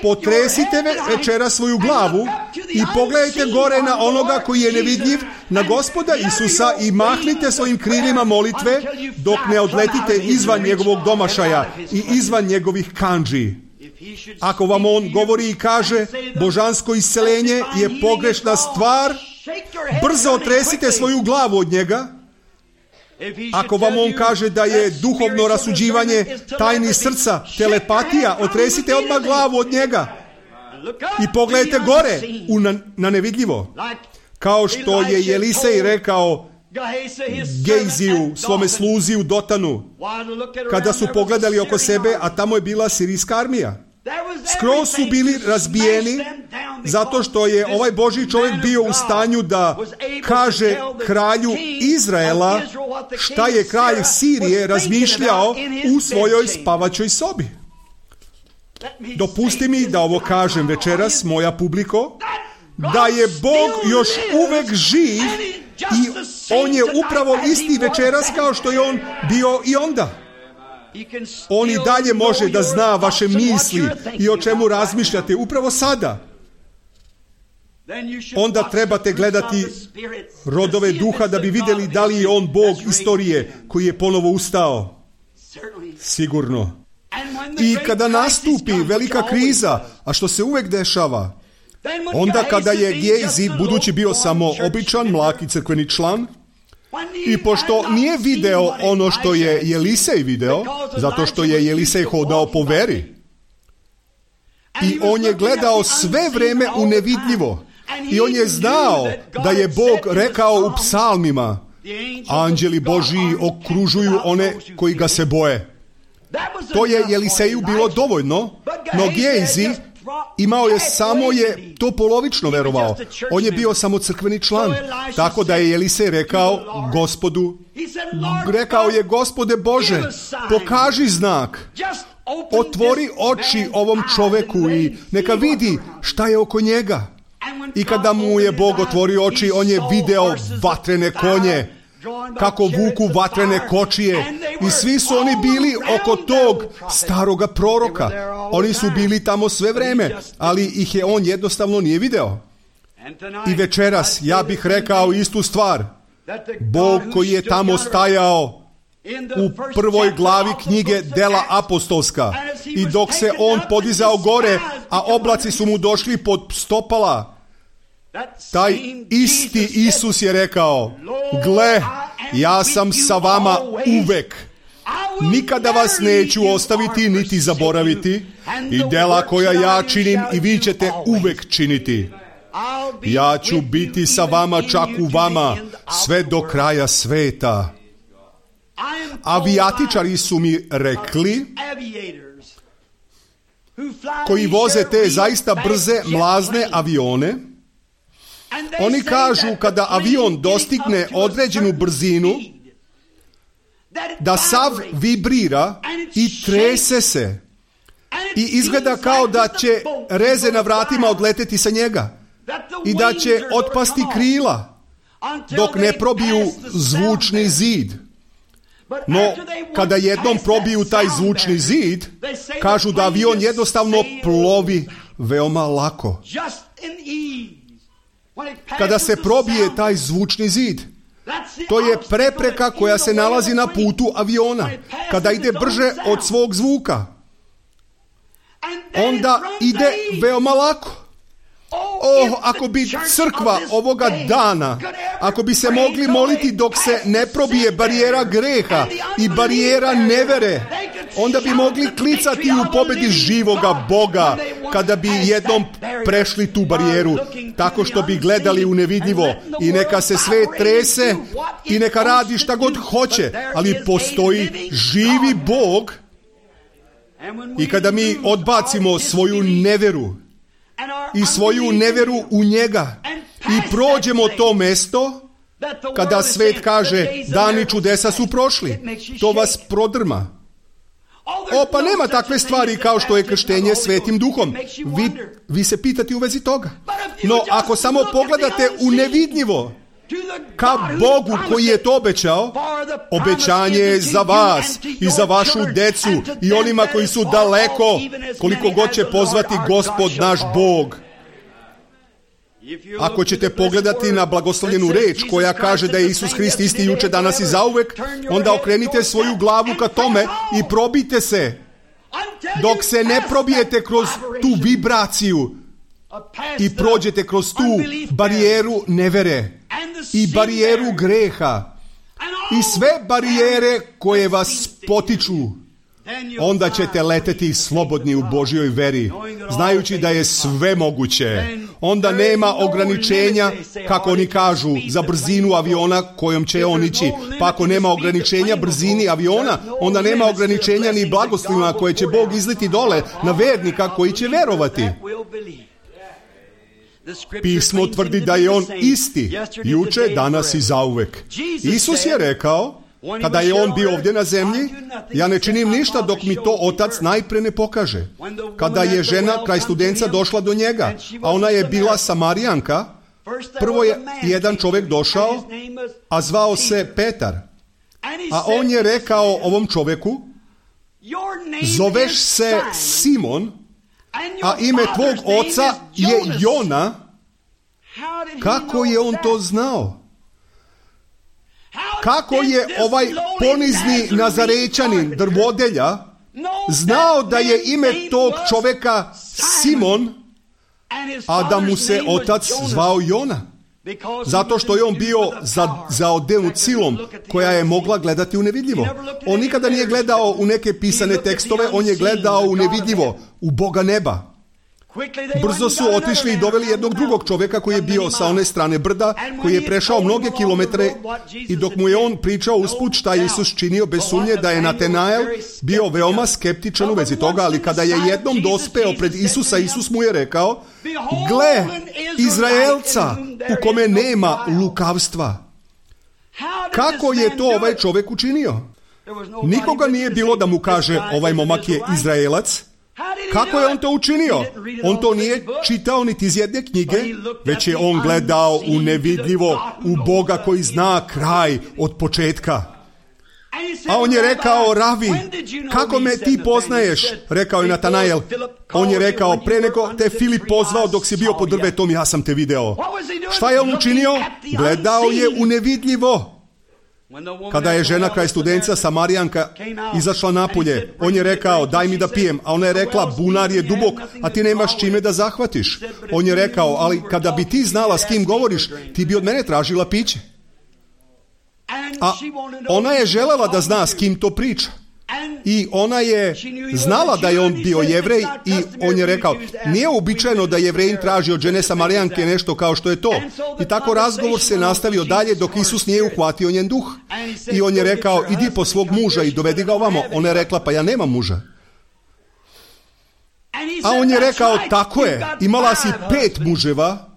Potresite večera svoju glavu i pogledajte gore na onoga koji je nevidljiv, na Gospoda Isusa, i mahnite svojim krilima molitve dok ne odletite izvan njegovog domašaja i izvan njegovih kandži. Ako vam on govori i kaže božansko isceljenje je pogrešna stvar, brzo otresite svoju glavu od njega. Ako vam on kaže da je duhovno rasuđivanje tajni srca, telepatija, otresite odmah glavu od njega i pogledajte gore na nevidljivo. Kao što je Elisej rekao Gejziju, svome sluzi u Dotanu, kada su pogledali oko sebe, a tamo je bila sirijska armija. Skroz su bili razbijeni zato što je ovaj Božji čovjek bio u stanju da kaže kralju Izraela šta je kralj Sirije razmišljao u svojoj spavaćoj sobi. Dopusti mi da ovo kažem večeras, moja publiko, da je Bog još uvek živ i on je upravo isti večeras kao što je on bio i onda. On i dalje može da zna vaše misli i o čemu razmišljate upravo sada. Onda trebate gledati rodove duha da bi vidjeli da li je on Bog istorije koji je ponovo ustao. Sigurno. I kada nastupi velika kriza, a što se uvek dešava, Onda kada je Gejzi, budući bio samo običan, mlaki crkveni član, i pošto nije video ono što je Jelisej video, zato što je Jelisej hodao po veri, i on je gledao sve vreme u nevidljivo, i on je znao da je Bog rekao u psalmima, anđeli Božji okružuju one koji ga se boje. To je Jeliseju bilo dovoljno, no Gejzi imao je samo je to polovično verovao. On je bio samo crkveni član. Tako da je Jelisej rekao Gospodu, rekao je, Gospode Bože, pokaži znak, otvori oči ovom čoveku i neka vidi šta je oko njega. I kada mu je Bog otvorio oči, on je video vatrene konje, kako vuku vatrene kočije, i svi su oni bili oko tog staroga proroka. Oni su bili tamo sve vreme, ali ih je on jednostavno nije video. I večeras ja bih rekao istu stvar. Bog koji je tamo stajao u prvoj glavi knjige Dela apostolska, i dok se on podizao gore, a oblaci su mu došli pod stopala, taj isti Isus je rekao, gle, ja sam sa vama uvek. Nikada vas neću ostaviti niti zaboraviti, i dela koja ja činim i vi ćete uvek činiti. Ja ću biti sa vama, čak u vama, sve do kraja sveta. Avijatičari su mi rekli, koji voze te zaista brze, mlazne avione, oni kažu kada avion dostigne određenu brzinu, da sav vibrira i trese se i izgleda kao da će reze na vratima odleteti sa njega i da će otpasti krila dok ne probiju zvučni zid. No, kada jednom probiju taj zvučni zid, kažu da avion jednostavno plovi veoma lako. Kada se probije taj zvučni zid, to je prepreka koja se nalazi na putu aviona. Kada ide brže od svog zvuka, onda ide veoma lako. Ako bi crkva ovoga dana, ako bi se mogli moliti dok se ne probije barijera greha i barijera nevere, onda bi mogli klicati u pobedi živoga Boga kada bi jednom prešli tu barijeru, tako što bi gledali u nevidljivo i neka se sve trese i neka radi šta god hoće, ali postoji živi Bog. I kada mi odbacimo svoju neveru i svoju neveru u njega i prođemo to mesto, kada svet kaže dani čudesa su prošli, to vas prodrma. Pa nema takve stvari kao što je krštenje Svetim Duhom. Vi se pitate u vezi toga. No ako samo pogledate u nevidljivo ka Bogu koji je to obećao, obećanje je za vas i za vašu decu i onima koji su daleko, koliko god će pozvati Gospod naš Bog. Ako ćete pogledati na blagoslovljenu reč koja kaže da je Isus Hrist isti juče, danas i zauvek, onda okrenite svoju glavu ka tome i probite se. Dok se ne probijete kroz tu vibraciju i prođete kroz tu barijeru nevere i barijeru greha i sve barijere koje vas potiču, onda ćete leteti slobodni u Božjoj veri, znajući da je sve moguće. Onda nema ograničenja, kako oni kažu, za brzinu aviona kojom će on ići. Pa ako nema ograničenja brzini aviona, onda nema ograničenja ni blagoslovima koje će Bog izliti dole na vernika koji će verovati. Pismo tvrdi da je on isti, juče, danas i zauvek. Isus je rekao, kada je on bio ovdje na zemlji, ja ne činim ništa dok mi to Otac najpre ne pokaže. Kada je žena kraj Studenca došla do njega, a ona je bila Samarijanka, prvo je jedan čovjek došao, a zvao se Petar. A on je rekao ovom čovjeku, zoveš se Simon, a ime tvog oca je Jona. Kako je on to znao? Kako je ovaj ponizni Nazarećanin, drvodelja, znao da je ime tog čovjeka Simon, a da mu se otac zvao Jona. Zato što je on bio zaodenut silom koja je mogla gledati u nevidljivo. On nikada nije gledao u neke pisane tekstove, on je gledao u nevidljivo, u Boga neba. Brzo su otišli i doveli jednog drugog čovjeka koji je bio sa one strane brda, koji je prešao mnoge kilometre, i dok mu je on pričao usput šta je Isus činio, bez sumnje da je Natanael bio veoma skeptičan u vezi toga, ali kada je jednom dospeo pred Isusa, Isus mu je rekao: gle, Izraelca u kome nema lukavstva. Kako je to ovaj čovjek učinio? Nikoga nije bilo da mu kaže ovaj momak je Izraelac. Kako je on to učinio? On to nije čitao niti iz jedne knjige, već je on gledao u nevidljivo, u Boga koji zna kraj od početka. A on je rekao: ravi, kako me ti poznaješ? Rekao je Natanael. On je rekao: pre nego te Filip pozvao dok si bio pod drvetom, ja sam te video. Šta je on učinio? Gledao je u nevidljivo. Kada je žena kraj Studenca, Samarijanka, izašla napolje, on je rekao: daj mi da pijem. A ona je rekla: bunar je dubok, a ti nemaš čime da zahvatiš. On je rekao: ali kada bi ti znala s kim govoriš, ti bi od mene tražila piće. A ona je želela da zna s kim to priča. I ona je znala da je on bio Jevrej, i on je rekao: nije uobičajeno da Jevrejin traži od žene Samarijanke nešto kao što je to. I tako razgovor se nastavio dalje dok Isus nije uhvatio njen duh. I on je rekao: idi po svog muža i dovedi ga ovamo. Ona je rekla: pa ja nemam muža. A on je rekao: tako je, imala si 5 muževa,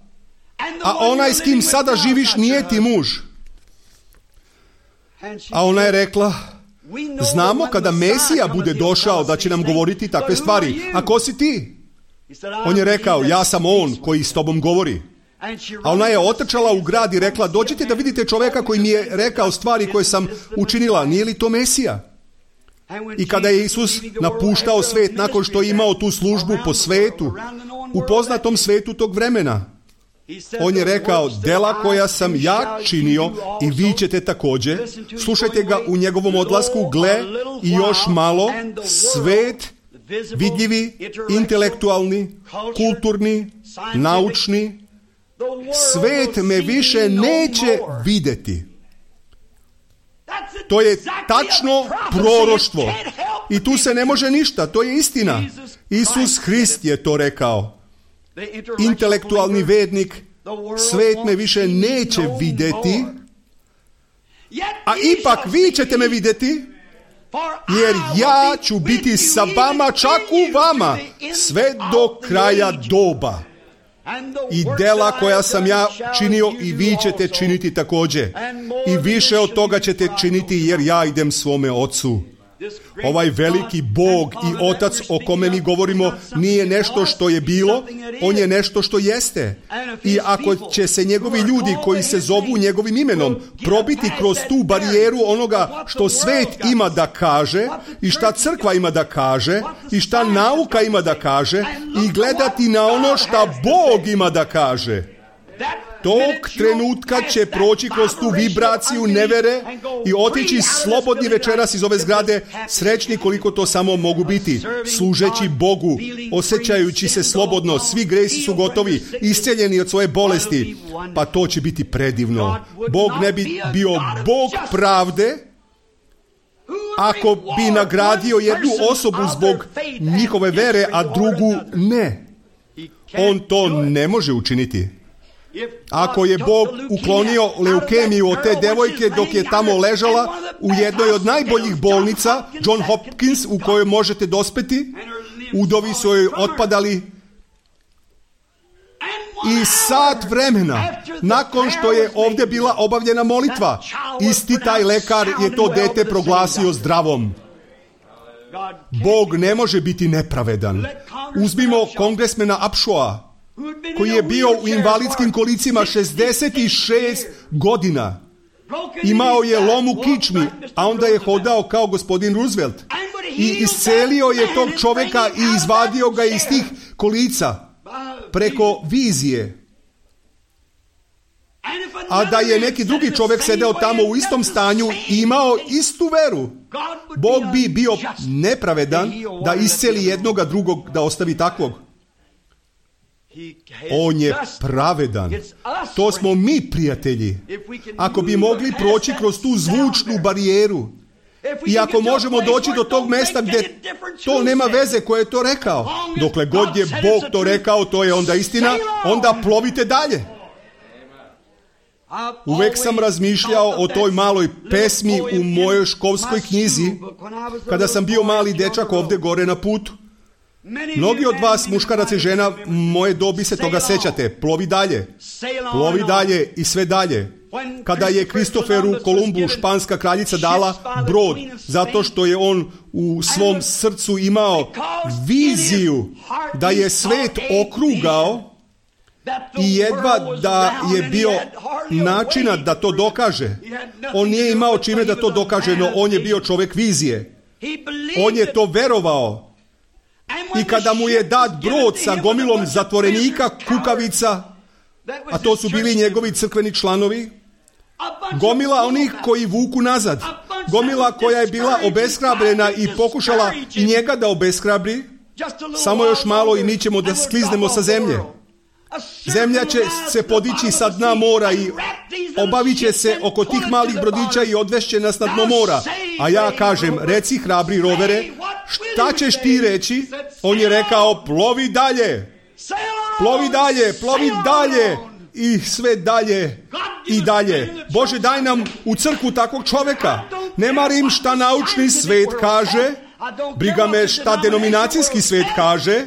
a onaj s kim sada živiš nije ti muž. A ona je rekla: znamo kada Mesija bude došao da će nam govoriti takve stvari. A ko si ti? On je rekao: ja sam on koji s tobom govori. A ona je otrčala u grad i rekla: dođite da vidite čovjeka koji mi je rekao stvari koje sam učinila. Nije li to Mesija? I kada je Isus napuštao svet nakon što je imao tu službu po svetu, u poznatom svetu tog vremena, on je rekao: dela koja sam ja činio i vi ćete također. Slušajte ga u njegovom odlasku: gle, i još malo svet, vidljivi, intelektualni, kulturni, naučni, svet me više neće vidjeti. To je tačno proroštvo. I tu se ne može ništa, to je istina. Isus Hrist je to rekao. Intelektualni vednik: svet me više neće vidjeti, a ipak vi ćete me vidjeti, jer ja ću biti sa vama, čak u vama, sve do kraja doba. I dela koja sam ja činio i vi ćete činiti također. I više od toga ćete činiti, jer ja idem svome Ocu. Ovaj veliki Bog i Otac o kome mi govorimo nije nešto što je bilo, on je nešto što jeste. I ako će se njegovi ljudi koji se zovu njegovim imenom probiti kroz tu barijeru onoga što svet ima da kaže i šta crkva ima da kaže i šta nauka ima da kaže i gledati na ono šta Bog ima da kaže, tog trenutka će proći kroz tu vibraciju nevere i otići slobodni večeras iz ove zgrade, srećni koliko to samo mogu biti, služeći Bogu, osjećajući se slobodno, svi gresi su gotovi, isceljeni od svoje bolesti. Pa to će biti predivno. Bog ne bi bio Bog pravde ako bi nagradio jednu osobu zbog njihove vere, a drugu ne. On to ne može učiniti. Ako je Bog uklonio leukemiju od te devojke dok je tamo ležala u jednoj od najboljih bolnica, John Hopkins, u kojoj možete dospeti, udovi su joj otpadali, i sat vremena nakon što je ovdje bila obavljena molitva, isti taj lekar je to dete proglasio zdravom. Bog ne može biti nepravedan. Uzmimo kongresmena Upshawa, koji je bio u invalidskim kolicima 66 godina. Imao je lom u kičmi, a onda je hodao kao gospodin Roosevelt. I iscelio je tog čovjeka i izvadio ga iz tih kolica preko vizije. A da je neki drugi čovjek sedeo tamo u istom stanju i imao istu veru, Bog bi bio nepravedan da isceli jednoga drugog da ostavi takvog. On je pravedan. To smo mi, prijatelji. Ako bi mogli proći kroz tu zvučnu barijeru i ako možemo doći do tog mesta gdje to nema veze ko je to rekao, dokle god je Bog to rekao, to je onda istina, onda plovite dalje. Uvek sam razmišljao o toj maloj pesmi u mojoj školskoj knjizi kada sam bio mali dečak ovdje gore na putu. Mnogi od vas, muškaraca i žena, moje dobi se toga sećate. Plovi dalje i sve dalje. Kada je Kristoferu Kolumbu španska kraljica dala brod, zato što je on u svom srcu imao viziju da je svet okrugao i jedva da je bio načina da to dokaže. On nije imao čime da to dokaže, no on je bio čovjek vizije. On je to verovao. I kada mu je dat brod sa gomilom zatvorenika, kukavica, a to su bili njegovi crkveni članovi, gomila onih koji vuku nazad, gomila koja je bila obeshrabrena i pokušala i njega da obeshrabri, samo još malo i mi ćemo da skliznemo sa zemlje. Zemlja će se podići sa dna mora i obavit će se oko tih malih brodića i odvešće nas na dno mora. A ja kažem, reci hrabri rovere, šta ćeš ti reći? On je rekao, plovi dalje, plovi dalje, plovi dalje i sve dalje i dalje. Bože, daj nam u crkvu takvog čovjeka. Ne marim šta naučni svet kaže, briga me šta denominacijski svet kaže,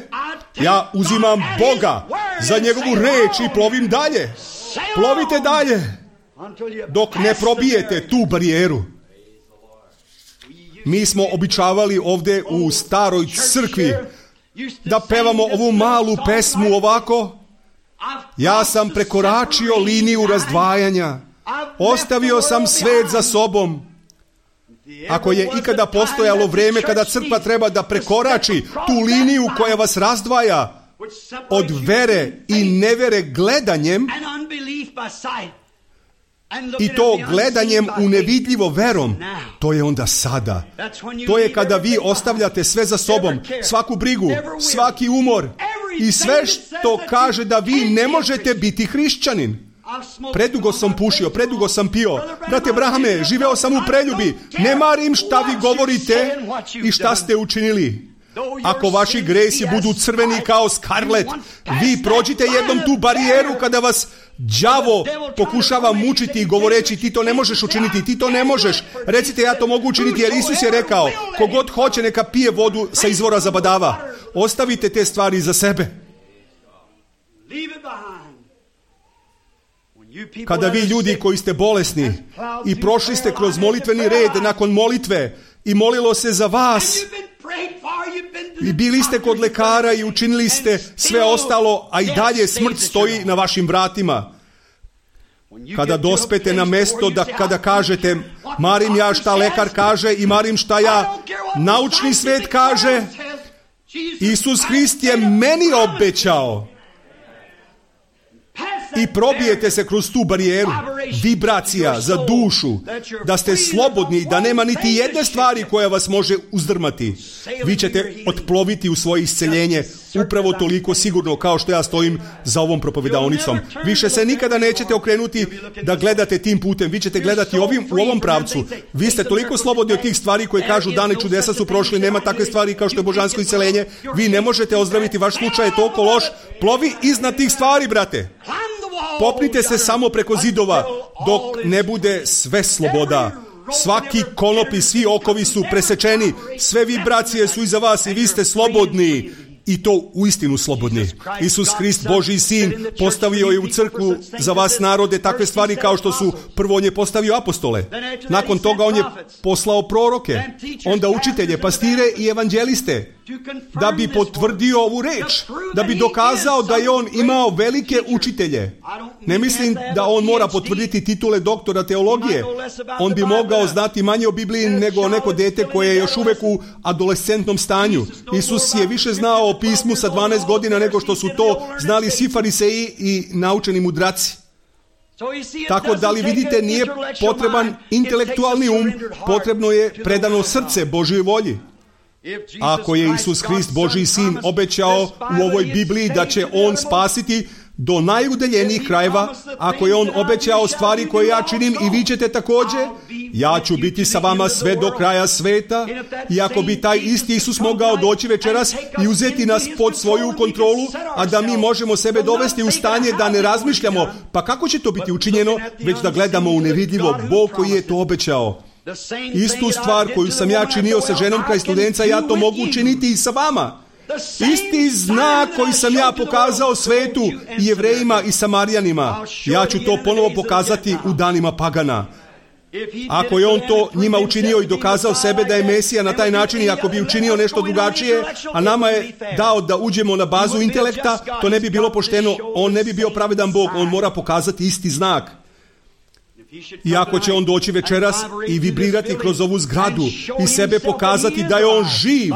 ja uzimam Boga za njegovu reč i plovim dalje. Plovite dalje dok ne probijete tu barijeru. Mi smo običavali ovdje u staroj crkvi da pevamo ovu malu pesmu ovako. Ja sam prekoračio liniju razdvajanja. Ostavio sam svet za sobom. Ako je ikada postojalo vrijeme kada crkva treba da prekorači tu liniju koja vas razdvaja od vere i nevere gledanjem, i to gledanjem u nevidljivo verom, to je onda sada. To je kada vi ostavljate sve za sobom, svaku brigu, svaki umor i sve što kaže da vi ne možete biti hrišćanin. Predugo sam pušio, predugo sam pio. Brate Brahame, živeo sam u preljubi. Ne marim šta vi govorite i šta ste učinili. Ako vaši gresi budu crveni kao skarlet, vi prođite jednom tu barijeru kada vas đavo pokušava mučiti govoreći ti to ne možeš učiniti, ti to ne možeš. Recite ja to mogu učiniti jer Isus je rekao kogod hoće neka pije vodu sa izvora zabadava. Ostavite te stvari za sebe. Kada vi ljudi koji ste bolesni i prošli ste kroz molitveni red nakon molitve i molilo se za vas i bili ste kod lekara i učinili ste sve ostalo, a i dalje smrt stoji na vašim vratima. Kada dospete na mesto da kada kažete marim ja šta lekar kaže i marim šta ja naučni svet kaže, Isus Hrist je meni obećao. I probijete se kroz tu barijeru, vibracija za dušu, da ste slobodni, da nema niti jedne stvari koja vas može uzdrmati. Vi ćete otploviti u svoje isceljenje upravo toliko sigurno kao što ja stojim za ovom propovedaonicom. Više se nikada nećete okrenuti da gledate tim putem, vi ćete gledati u ovom pravcu. Vi ste toliko slobodni od tih stvari koje kažu dane čudesa su prošli, nema takve stvari kao što je božansko isceljenje. Vi ne možete ozdraviti, vaš slučaj je toliko loš. Plovi iznad tih stvari, brate. Popnite se samo preko zidova dok ne bude sve sloboda. Svaki konop i svi okovi su presečeni, sve vibracije su iza vas i vi ste slobodni. I to uistinu slobodni. Isus Hrist, Božji sin, postavio je u crkvu za vas narode takve stvari kao što su, prvo on je postavio apostole. Nakon toga on je poslao proroke, onda učitelje, pastire i evanđeliste, da bi potvrdio ovu reč, da bi dokazao da je on imao velike učitelje. Ne mislim da on mora potvrditi titule doktora teologije. On bi mogao znati manje o Bibliji nego neko dete koje je još uvek u adolescentnom stanju. Isus je više znao o pismu sa 12 godina nego što su to znali svi fariseji i naučeni mudraci. Tako da li vidite, nije potreban intelektualni um, potrebno je predano srce Božjoj volji. Ako je Isus Hrist, Božji sin, obećao u ovoj Bibliji da će On spasiti do najudaljenijih krajeva, ako je On obećao stvari koje ja činim i vi ćete također, ja ću biti sa vama sve do kraja sveta. I ako bi taj isti Isus mogao doći večeras i uzeti nas pod svoju kontrolu, a da mi možemo sebe dovesti u stanje da ne razmišljamo, pa kako će to biti učinjeno, već da gledamo u nevidljivo Bog koji je to obećao. Istu stvar koju sam ja činio sa ženom kraj Studenca, ja to mogu učiniti i sa vama. Isti znak koji sam ja pokazao svetu i Jevrejima i Samarijanima, ja ću to ponovo pokazati u danima pagana. Ako je On to njima učinio i dokazao sebe da je Mesija na taj način, i ako bi učinio nešto drugačije, a nama je dao da uđemo na bazu intelekta, to ne bi bilo pošteno. On ne bi bio pravedan Bog, On mora pokazati isti znak. I ako će On doći večeras i vibrirati kroz ovu zgradu i sebe pokazati da je On živ,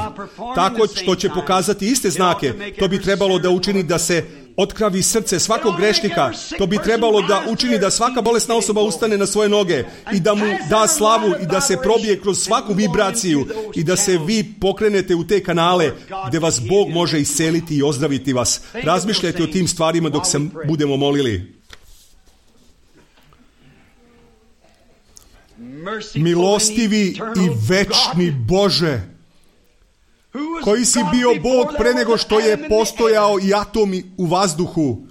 tako što će pokazati iste znake, to bi trebalo da učini da se otkravi srce svakog grešnika. To bi trebalo da učini da svaka bolesna osoba ustane na svoje noge i da mu da slavu i da se probije kroz svaku vibraciju i da se vi pokrenete u te kanale gdje vas Bog može isceliti i ozdraviti vas. Razmišljajte o tim stvarima dok se budemo molili. Milostivi i večni Bože, koji si bio Bog pre nego što je postojao i atomi u vazduhu,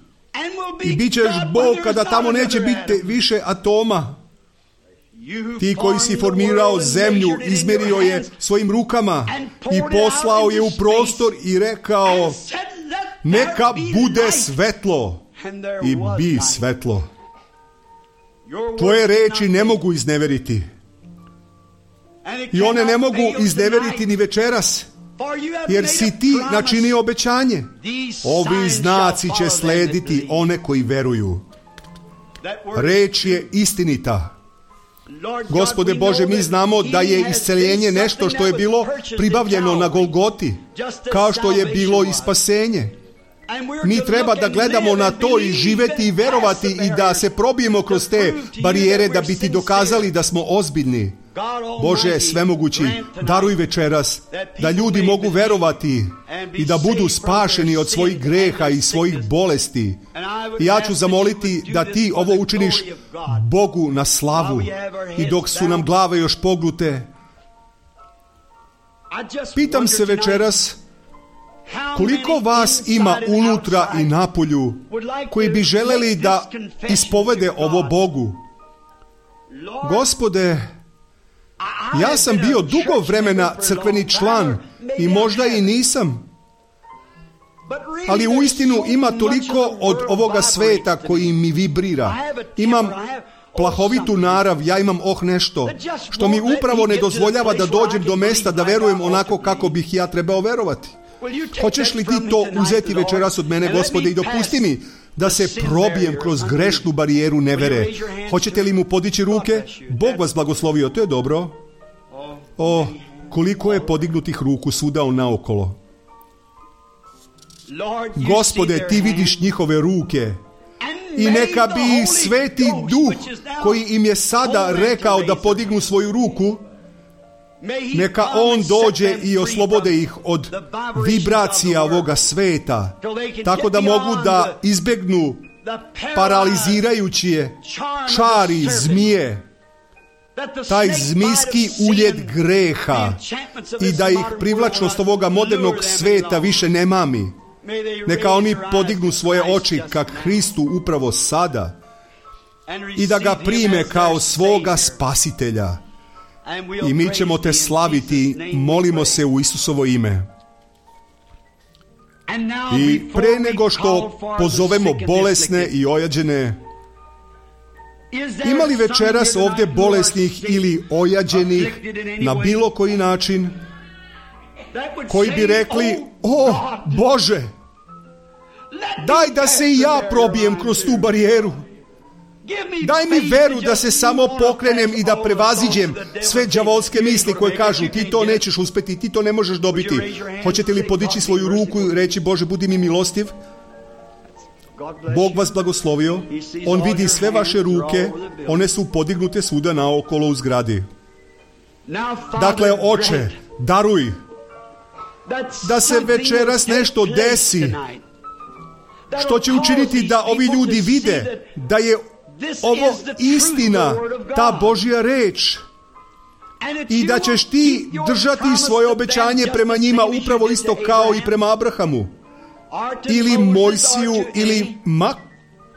i bit ćeš Bog kada tamo neće biti više atoma. Ti koji si formirao zemlju, izmjerio je svojim rukama i poslao je u prostor i rekao, neka bude svetlo, i bi svetlo. Tvoje reči ne mogu izneveriti. I one ne mogu izneveriti ni večeras, jer si ti načinio obećanje. Ovi znaci će slediti one koji veruju. Reč je istinita. Gospode Bože, mi znamo da je isceljenje nešto što je bilo pribavljeno na Golgoti, kao što je bilo i spasenje. Mi treba da gledamo na to i živeti i verovati i da se probijemo kroz te barijere da bi ti dokazali da smo ozbiljni. Bože svemogući, daruj večeras da ljudi mogu verovati i da budu spašeni od svojih greha i svojih bolesti. I ja ću zamoliti da ti ovo učiniš Bogu na slavu. I dok su nam glave još pognute, pitam se večeras, koliko vas ima unutra i napolju koji bi želeli da ispovede ovo Bogu? Gospode, ja sam bio dugo vremena crkveni član i možda i nisam, ali uistinu ima toliko od ovoga sveta koji mi vibrira. Imam plahovitu narav, ja imam nešto što mi upravo ne dozvoljava da dođem do mesta da verujem onako kako bih ja trebao verovati. Hoćeš li ti to uzeti večeras od mene, Gospode, i dopusti mi da se probijem kroz grešnu barijeru nevere? Hoćete li mu podići ruke? Bog vas blagoslovio, to je dobro. O, koliko je podignutih ruku svuda naokolo. Gospode, ti vidiš njihove ruke. I neka bi Sveti Duh, koji im je sada rekao da podignu svoju ruku, neka On dođe i oslobode ih od vibracija ovoga sveta, tako da mogu da izbegnu paralizirajuće čari zmije, taj zmijski uljed greha, i da ih privlačnost ovoga modernog sveta više ne mami. Neka oni podignu svoje oči ka Hristu upravo sada i da ga prime kao svoga spasitelja. I mi ćemo te slaviti, molimo se u Isusovo ime. I pre nego što pozovemo bolesne i ojađene, ima li večeras ovdje bolesnih ili ojađenih na bilo koji način, koji bi rekli, o Bože, daj da se i ja probijem kroz tu barijeru. Daj mi veru da se samo pokrenem i da prevaziđem sve đavolske misli koje kažu, ti to nećeš uspjeti, ti to ne možeš dobiti. Hoćete li podići svoju ruku i reći, Bože, budi mi milostiv? Bog vas blagoslovio. On vidi sve vaše ruke, one su podignute svuda naokolo u zgradi. Dakle, Oče, daruj da se večeras nešto desi, što će učiniti da ovi ljudi vide da je ovo istina, ta Božja reč, i da ćeš ti držati svoje obećanje prema njima upravo isto kao i prema Abrahamu, ili Mojsiju, ili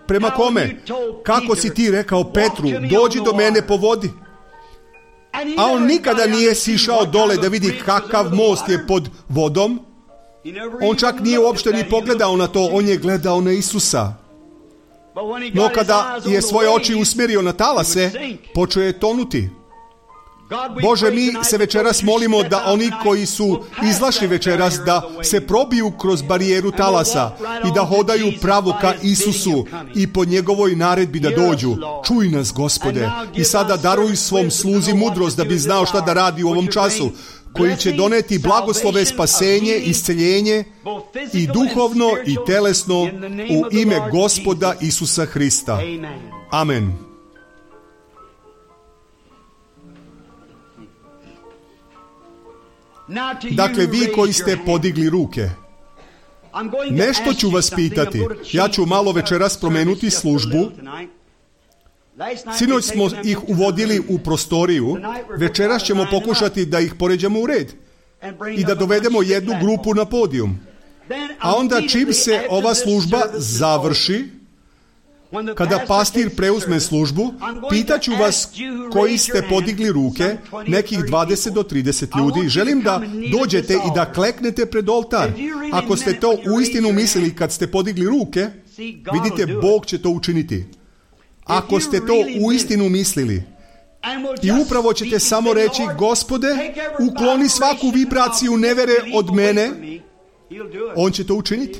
prema kome? Kako si ti rekao Petru, dođi do mene po vodi. A on nikada nije sišao dole da vidi kakav most je pod vodom. On čak nije uopšte ni pogledao na to, on je gledao na Isusa. No kada je svoje oči usmjerio na talase, počeo je tonuti. Bože, mi se večeras molimo da oni koji su izašli večeras, da se probiju kroz barijeru talasa i da hodaju pravo ka Isusu i po njegovoj naredbi da dođu. Čuj nas, Gospode, i sada daruj svom sluzi mudrost da bi znao šta da radi u ovom času, koji će doneti blagoslove, spasenje, isceljenje i duhovno i telesno u ime Gospoda Isusa Hrista. Amen. Dakle, vi koji ste podigli ruke, nešto ću vas pitati. Ja ću malo večeras promenuti službu. Sinoć smo ih uvodili u prostoriju, večeras ćemo pokušati da ih poređamo u red i da dovedemo jednu grupu na podijum. A onda čim se ova služba završi, kada pastir preuzme službu, pitaću vas koji ste podigli ruke, nekih 20 do 30 ljudi. Želim da dođete i da kleknete pred oltar. Ako ste to uistinu mislili kad ste podigli ruke, vidite, Bog će to učiniti. Ako ste to uistinu mislili, i upravo ćete samo reći, Gospode, ukloni svaku vibraciju nevere od mene, on će to učiniti.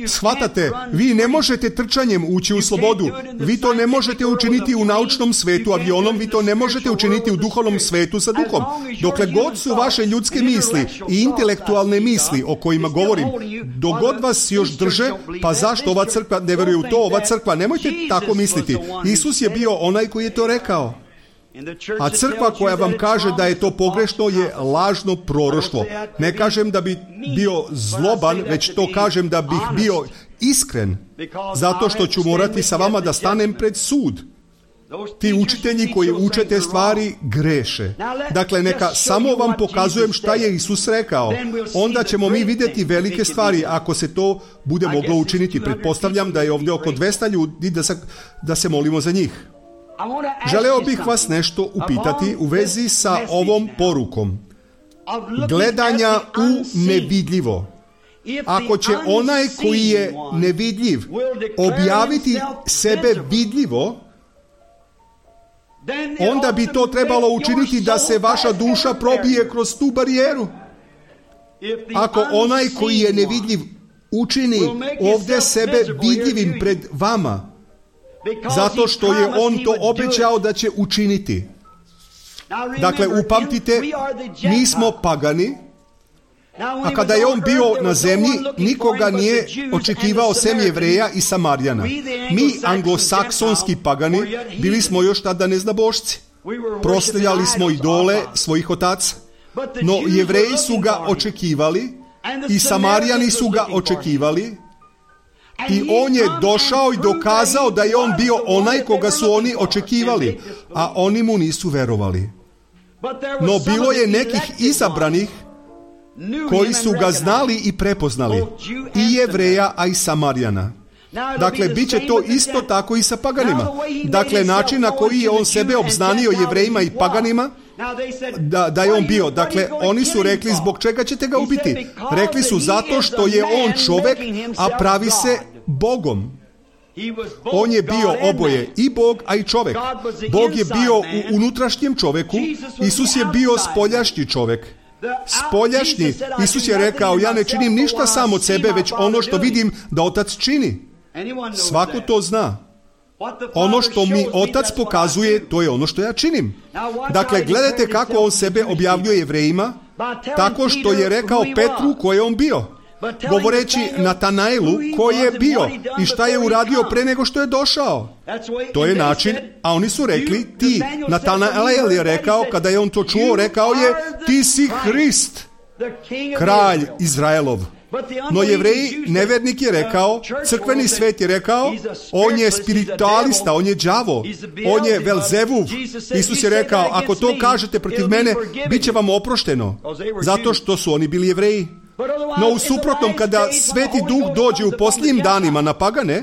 Shvatate, vi ne možete trčanjem ući u slobodu. Vi to ne možete učiniti u naučnom svetu avionom, vi to ne možete učiniti u duhovnom svetu sa duhom. Dokle god su vaše ljudske misli i intelektualne misli o kojima govorim, dok god vas još drže, pa zašto ova crkva ne veruje u to, ova crkva, nemojte tako misliti. Isus je bio onaj koji je to rekao. A crkva koja vam kaže da je to pogrešno je lažno proroštvo. Ne kažem da bi bio zloban, već to kažem da bih bio iskren, zato što ću morati sa vama da stanem pred sud. Ti učitelji koji uče te stvari greše. Dakle, neka samo vam pokazujem šta je Isus rekao. Onda ćemo mi vidjeti velike stvari ako se to bude moglo učiniti. Pretpostavljam da je ovdje oko 200 ljudi da se molimo za njih. Želeo bih vas nešto upitati u vezi sa ovom porukom. Gledanja u nevidljivo. Ako će onaj koji je nevidljiv objaviti sebe vidljivo, onda bi to trebalo učiniti da se vaša duša probije kroz tu barijeru. Ako onaj koji je nevidljiv učini ovdje sebe vidljivim pred vama, zato što je on to obećao da će učiniti. Dakle, upamtite, mi smo pagani, a kada je on bio na zemlji, nikoga nije očekivao sem Jevreja i Samarijana. Mi, anglosaksonski pagani, bili smo još tada neznabošci. Proslavljali smo idole svojih otaca. No, Jevreji su ga očekivali i Samarijani su ga očekivali. I on je došao i dokazao da je on bio onaj koga su oni očekivali, a oni mu nisu verovali. No bilo je nekih izabranih koji su ga znali i prepoznali, i Jevreja, a i Samarijana. Dakle, bit će to isto tako i sa paganima. Dakle, način na koji je on sebe obznanio Jevrejima i paganima, da je on bio. Dakle, oni su rekli, zbog čega ćete ga ubiti? Rekli su, zato što je on čovjek, a pravi se Bogom. On je bio oboje, i Bog, a i čovjek. Bog je bio u unutrašnjem čovjeku, Isus je bio spoljašnji čovjek. Spoljašnji. Isus je rekao, ja ne činim ništa sam od sebe, već ono što vidim da Otac čini. Svako to zna. Ono što mi Otac pokazuje, to je ono što ja činim. Dakle, gledajte kako on sebe objavljuje Jevrejima, tako što je rekao Petru ko je on bio. govoreći Natanaelu ko je bio i šta je uradio pre nego što je došao. To je način, a oni su rekli, ti, Natanael je rekao, kada je on to čuo, rekao je, ti si Hrist, kralj Izraelov. No Jevreji, nevernik je rekao, crkveni svet je rekao, on je spiritualista, on je đavo, on je Velzevuv. Isus je rekao, ako to kažete protiv mene, bit će vam oprošteno, zato što su oni bili Jevreji. No u suprotnom, kada Sveti Duh dođe u posljednjim danima na pagane,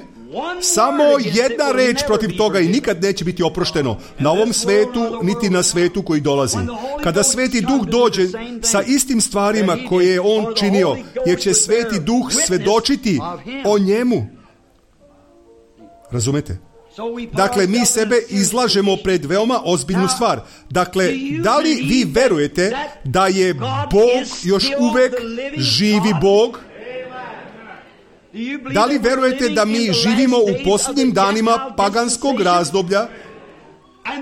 samo jedna reč protiv toga i nikad neće biti oprošteno na ovom svetu, niti na svetu koji dolazi. Kada Sveti Duh dođe sa istim stvarima koje je on činio, jer će Sveti Duh svedočiti o njemu. Razumete? Dakle, mi sebe izlažemo pred veoma ozbiljnu stvar. Dakle, da li vi verujete da je Bog još uvek živi Bog? Da li verujete da mi živimo u posljednjim danima paganskog razdoblja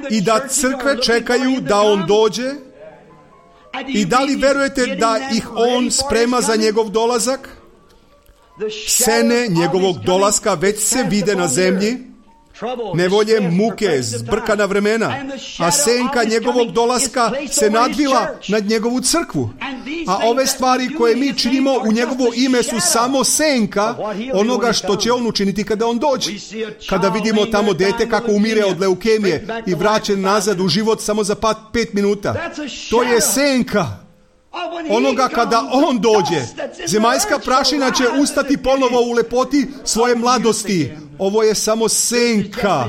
i da crkve čekaju da on dođe? I da li verujete da ih on sprema za njegov dolazak? Sene njegovog dolaska već se vide na zemlji. Nevolje, muke, zbrkana vremena, a senka njegovog dolaska se nadvila nad njegovu crkvu. A ove stvari koje mi činimo u njegovo ime su samo senka onoga što će on učiniti kada on dođe. Kada vidimo tamo dete kako umire od leukemije i vraćen nazad u život samo za 5 minuta, to je senka onoga kada on dođe. Zemaljska prašina će ustati ponovo u lepoti svoje mladosti. Ovo je samo senka,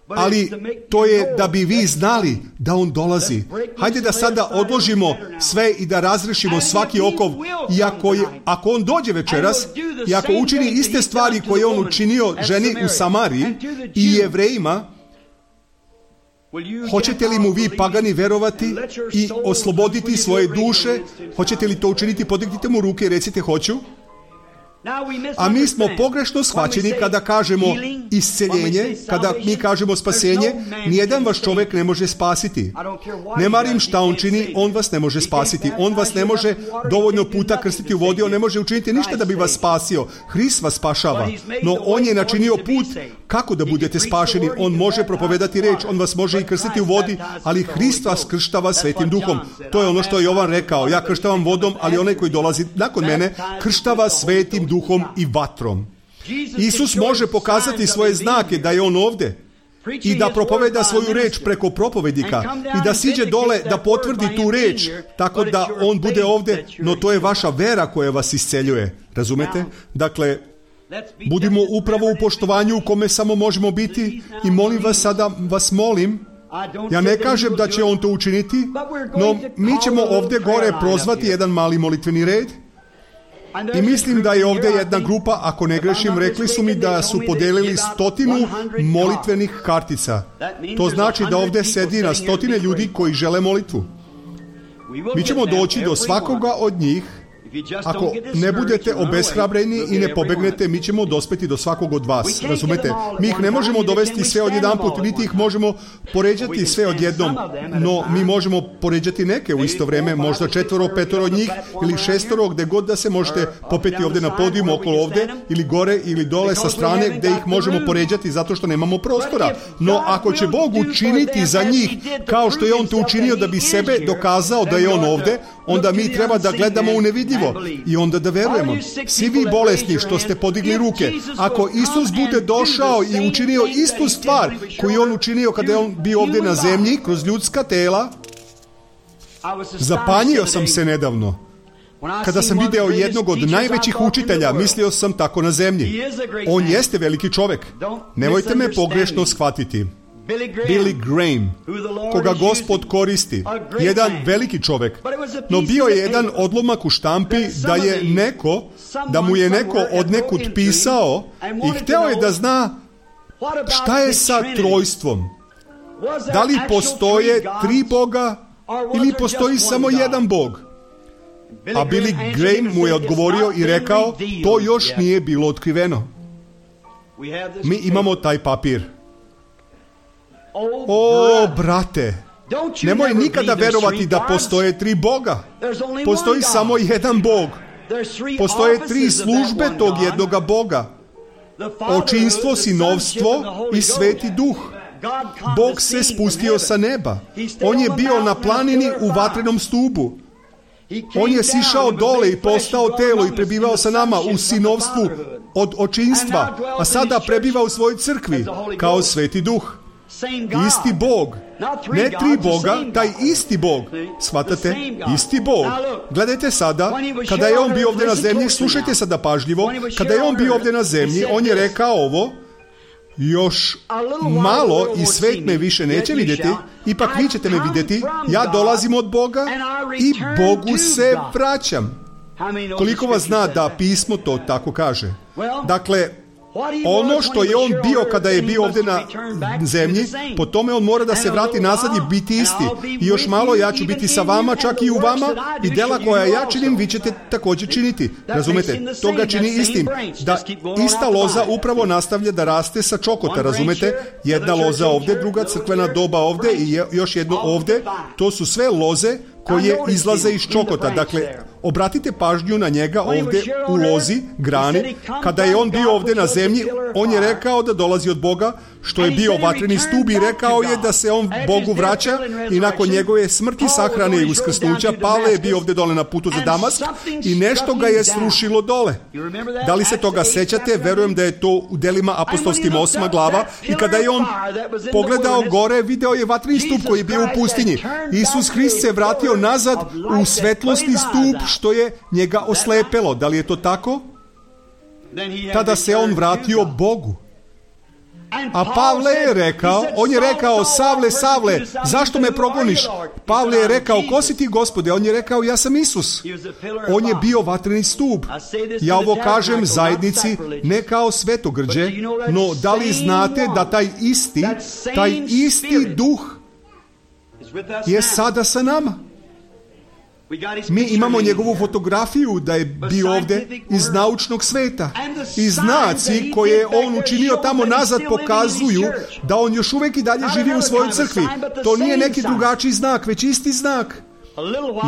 ali to je da bi vi znali da on dolazi. Hajde da sada odložimo sve i da razrešimo svaki okov. I ako on dođe večeras i ako učini iste stvari koje on učinio ženi u Samariji i Jevrejima, hoćete li mu vi pagani verovati i osloboditi svoje duše? Hoćete li to učiniti? Podignite mu ruke i recite hoću. A mi smo pogrešno shvaćeni kada kažemo isceljenje, kada mi kažemo spasenje. Nijedan vaš čovjek ne može spasiti. Ne marim šta on čini, on vas ne može spasiti. On vas ne može dovoljno puta krstiti u vodi, on ne može učiniti ništa da bi vas spasio. Hrist vas spašava, no on je načinio put kako da budete spašeni. On može propovedati reč, on vas može i krstiti u vodi, ali Hrist vas krštava Svetim Duhom. To je ono što je Jovan rekao, ja krštavam vodom, ali onaj koji dolazi nakon mene krštava Svetim Duhom i vatrom. Isus može pokazati svoje znake da je on ovde i da propoveda svoju reč preko propovednika i da siđe dole da potvrdi tu reč tako da on bude ovde, no to je vaša vera koja vas isceljuje. Razumete? Dakle, budimo upravo u poštovanju u kome samo možemo biti i molim vas sada, vas molim, ja ne kažem da će on to učiniti, no mi ćemo ovde gore prozvati jedan mali molitveni red. I mislim da je ovdje jedna grupa, ako ne grešim, rekli su mi da su podelili 100 molitvenih kartica. To znači da ovdje sedi na 100 ljudi koji žele molitvu. Mi ćemo doći do svakoga od njih. Ako ne budete obeshrabreni i ne pobegnete, mi ćemo dospeti do svakog od vas. Razumete? Mi ih ne možemo dovesti sve odjedanput, niti ih možemo poređati sve odjednom, no mi možemo poređati neke u isto vrijeme, možda 4, 5 od njih ili 6, gdje god da se možete popeti ovdje na podijumu, okolo ovdje, ili gore ili dole sa strane gdje ih možemo poređati zato što nemamo prostora. No ako će Bog učiniti za njih kao što je on to učinio da bi sebe dokazao da je on ovdje, onda mi treba da gledamo u nevidljivo i onda da verujemo. Svi vi bolesni što ste podigli ruke, ako Isus bude došao i učinio istu stvar koju je on učinio kada je on bio ovdje na zemlji kroz ljudska tela, zapanjio sam se nedavno. Kada sam video jednog od najvećih učitelja, mislio sam tako na zemlji. On jeste veliki čovjek. Nemojte me pogrešno shvatiti. Billy Graham, koga Gospod koristi, jedan veliki čovjek, no bio je jedan odlomak u štampi da mu je neko odnekud pisao i hteo je da zna šta je sa trojstvom. Da li postoje 3 Boga ili postoji samo jedan Bog? A Billy Graham mu je odgovorio i rekao, to još nije bilo otkriveno. Mi imamo taj papir. O, brate, nemoj nikada verovati da postoje 3 Boga. Postoji samo jedan Bog. Postoje 3 službe tog jednoga Boga. Očinstvo, sinovstvo i Sveti Duh. Bog se spustio sa neba. On je bio na planini u vatrenom stubu. On je sišao dole i postao telo i prebivao sa nama u sinovstvu od očinstva, a sada prebiva u svojoj crkvi kao Sveti Duh. Isti Bog, ne 3 Boga, taj isti Bog. Shvatate? Isti Bog. Gledajte sada, kada je on bio ovdje na zemlji, slušajte sada pažljivo, kada je on bio ovdje na zemlji, on je rekao ovo: još malo i svet me više neće vidjeti, ipak vi ćete me vidjeti, ja dolazim od Boga i Bogu se vraćam. Koliko vas zna da pismo to tako kaže? Dakle, ono što je on bio kada je bio ovdje na zemlji, po tome on mora da se vrati nazad i biti isti. I još malo ja ću biti sa vama, čak i u vama, i dela koja ja činim, vi ćete također činiti. Razumete? To ga čini istim. Da ista loza upravo nastavlja da raste sa čokota, razumete? Jedna loza ovdje, druga crkvena doba ovdje i još jedno ovdje. To su sve loze koje izlaze iz čokota. Dakle, obratite pažnju na njega ovdje u lozi, grani. Kada je on bio ovdje na zemlji, on je rekao da dolazi od Boga, što je bio vatreni stup, i rekao je da se on Bogu vraća i nakon njegove smrti, sahrane i uskrsnuća, Pavle je bio ovdje dole na putu za Damask i nešto ga je srušilo dole. Da li se toga sećate? Verujem da je to u Delima apostolskim 8. glava, i kada je on pogledao gore, video je vatreni stup koji je bio u pustinji. Isus Hrist se vratio nazad u svetlosni stup što je njega oslepelo. Da li je to tako? Tada se on vratio Bogu. A Pavle je rekao, on je rekao: Savle, Savle, zašto me progoniš? Pavle je rekao: ko si ti, Gospode? On je rekao: ja sam Isus. On je bio vatreni stup. Ja ovo kažem zajednici ne kao svetogrđe, no da li znate da taj isti Duh je sada sa nama? Mi imamo njegovu fotografiju da je bio ovdje iz naučnog sveta. I znaci koje je on učinio tamo nazad pokazuju da on još uvijek i dalje živi u svojoj crkvi. To nije neki drugačiji znak, već isti znak.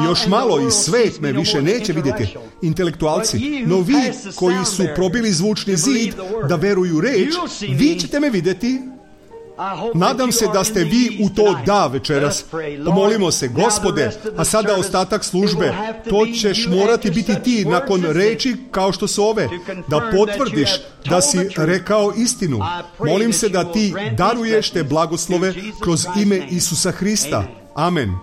I još malo i svet me više neće vidjeti, intelektualci, no vi koji su probili zvučni zid da veruju reč, vi ćete me vidjeti. Nadam se da ste vi u to da večeras. Pomolimo se: Gospode, a sada ostatak službe, to ćeš morati biti ti nakon reči kao što su ove, da potvrdiš da si rekao istinu. Molim se da ti daruješ te blagoslove kroz ime Isusa Hrista. Amen.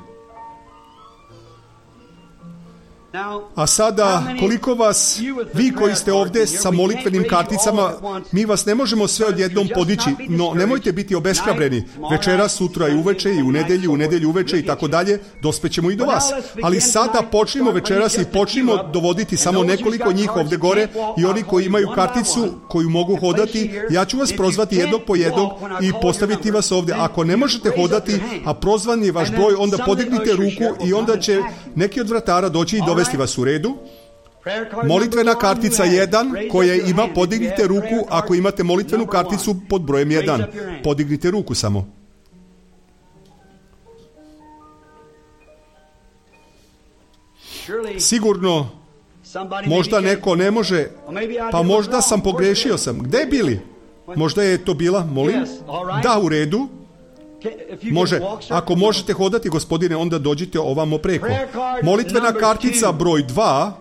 A sada, koliko vas, vi koji ste ovdje sa molitvenim karticama, mi vas ne možemo sve odjednom podići, no nemojte biti obeshrabreni. Večera, sutra i uveče, i u nedjelju uveče i tako dalje, dospećemo i do vas. Ali sada počnimo večeras i počnimo dovoditi samo nekoliko njih ovdje gore, i oni koji imaju karticu koju mogu hodati, ja ću vas prozvati jednog po jednog i postaviti vas ovdje. Ako ne možete hodati, a prozvan je vaš broj, onda podignite ruku i onda će neki od vratara doći i dovesti vas u redu. Molitvena kartica 1 koja ima, podignite ruku ako imate molitvenu karticu pod brojem 1. Podignite ruku samo. Sigurno možda neko ne može, pa možda sam pogrešio sam. Gde bili? Možda je to bila, molim? Da, u redu. Može, ako možete hodati, gospodine, onda dođite ovamo preko. Molitvena kartica broj 2,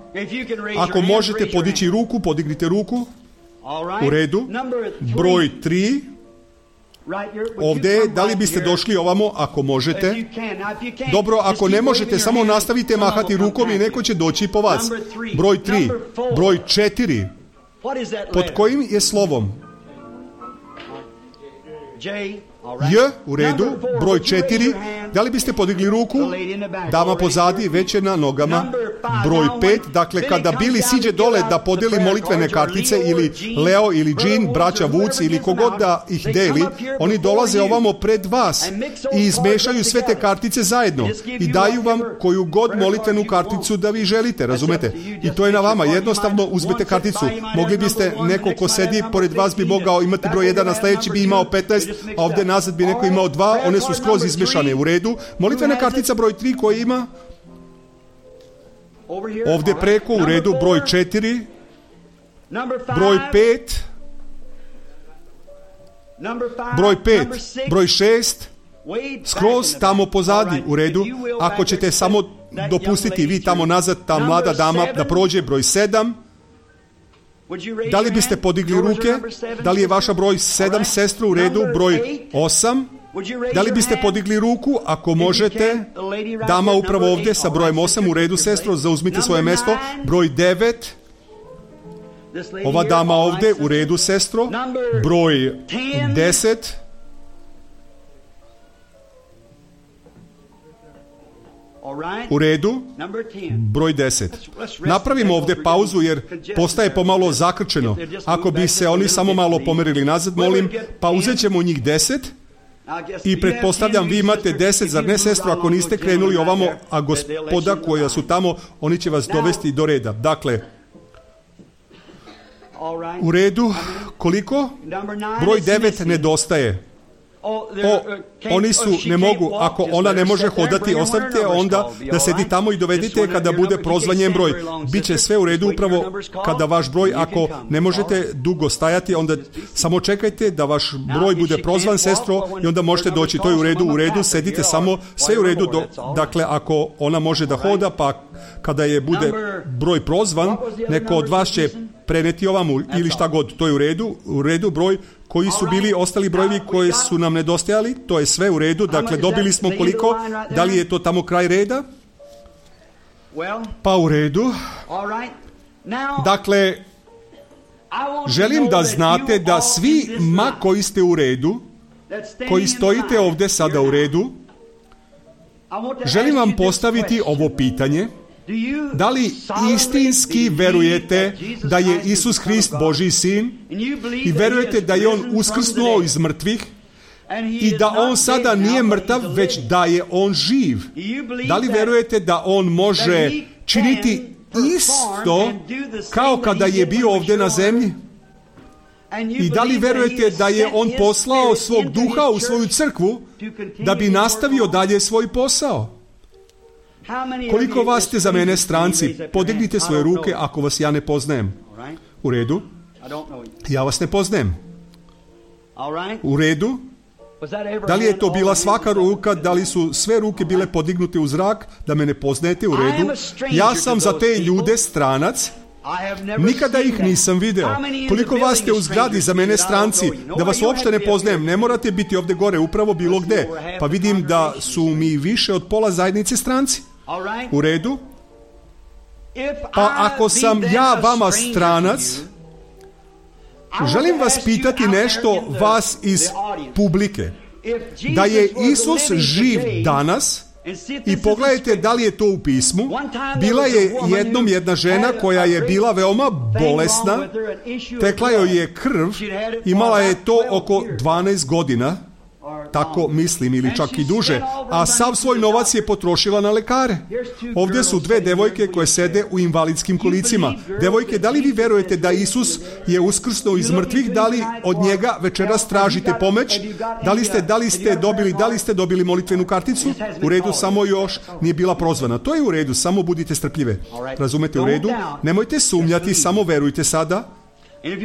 ako možete podići ruku, podignite ruku. U redu. Broj 3, ovdje, da li biste došli ovamo ako možete? Dobro, ako ne možete, samo nastavite mahati rukom i neko će doći po vas. Broj 3, broj 4, pod kojim je slovom? J, u redu. Broj 4, da li biste podigli ruku? Dama pozadi, već je na nogama. Broj 5, dakle kada Bili siđe dole da podeli molitvene kartice, ili Leo ili Jean, braća Vuc ili kogod da ih deli, oni dolaze ovamo pred vas i izmešaju sve te kartice zajedno i daju vam koju god molitvenu karticu da vi želite, razumete? I to je na vama, jednostavno uzmete karticu. Mogli biste, neko ko sedi pored vas bi mogao imati broj 1, a sljedeći bi imao 15, a ovdje nazad bi neko imao 2, one su skroz izmešane. U redu. Molitvena kartica broj 3 koja ima? Ovdje preko, u redu, broj 4, broj 5, broj 6, skroz tamo pozadi, u redu. Ako ćete samo dopustiti vi tamo nazad, ta mlada dama da prođe, broj 7. Da li biste podigli ruke? Da li je vaša broj 7, sestru, u redu, broj 8? Da li biste podigli ruku, ako možete? Dama upravo ovdje sa brojem 8, u redu, sestro, zauzmite svoje mjesto. Broj 9. Ova dama ovdje, u redu, sestro. Broj 10. U redu, broj 10. Napravimo ovdje pauzu jer postaje pomalo zakrčeno. Ako bi se oni samo malo pomerili nazad, molim, pa uzet ćemo njih 10 i pretpostavljam vi imate 10, zar ne, sestro, ako niste krenuli ovamo, a gospoda koja su tamo, oni će vas dovesti do reda. Dakle, u redu, koliko? Broj 9 nedostaje. Oni su, ne mogu, ako ona ne može hodati, ostavite onda da sedi tamo i dovedite kada bude prozvan njen broj. Biće sve u redu upravo kada vaš broj, ako ne možete dugo stajati, onda samo čekajte da vaš broj bude prozvan, sestro, i onda možete doći. To je u redu, sedite samo, sve u redu. Dakle, ako ona može da hoda, pa kada je bude broj prozvan, neko od vas će preneti ovamo ili šta god, to je u redu, broj koji su bili ostali brojevi koji su nam nedostajali, to je sve u redu, dakle dobili smo koliko, da li je to tamo kraj reda? Pa u redu. Dakle, želim da znate da svi koji ste u redu, koji stojite ovdje sada u redu, želim vam postaviti ovo pitanje. Da li istinski verujete da je Isus Hrist Božji sin i verujete da je on uskrsnuo iz mrtvih i da on sada nije mrtav, već da je on živ? Da li verujete da on može činiti isto kao kada je bio ovdje na zemlji? I da li verujete da je on poslao svog duha u svoju crkvu da bi nastavio dalje svoj posao? Koliko vas ste za mene stranci? Podignite svoje ruke ako vas ja ne poznajem. U redu? Ja vas ne poznajem. U redu? Da li je to bila svaka ruka? Da li su sve ruke bile podignute u zrak? Da me ne poznajete? U redu? Ja sam za te ljude stranac. Nikada ih nisam video. Koliko vas ste u zgradi za mene stranci, da vas uopšte ne poznajem? Ne morate biti ovdje gore, upravo bilo gde. Pa vidim da su mi više od pola zajednice stranci. U redu? Pa ako sam ja vama stranac, želim vas pitati nešto, vas iz publike. Da je Isus živ danas, i pogledajte da li je to u pismu. Bila je jednom jedna žena koja je bila veoma bolesna, tekla joj je krv, imala je to oko 12 godina, tako mislim, ili čak i duže, a sav svoj novac je potrošila na lekare. Ovdje su dve devojke koje sede u invalidskim kolicima. Devojke, da li vi verujete da Isus je uskrsnuo iz mrtvih? Da li od njega večeras tražite pomoć? Da li ste dobili molitvenu karticu? U redu, samo još nije bila prozvana. To je u redu, samo budite strpljive. Razumete, u redu? Nemojte sumnjati, samo verujte sada.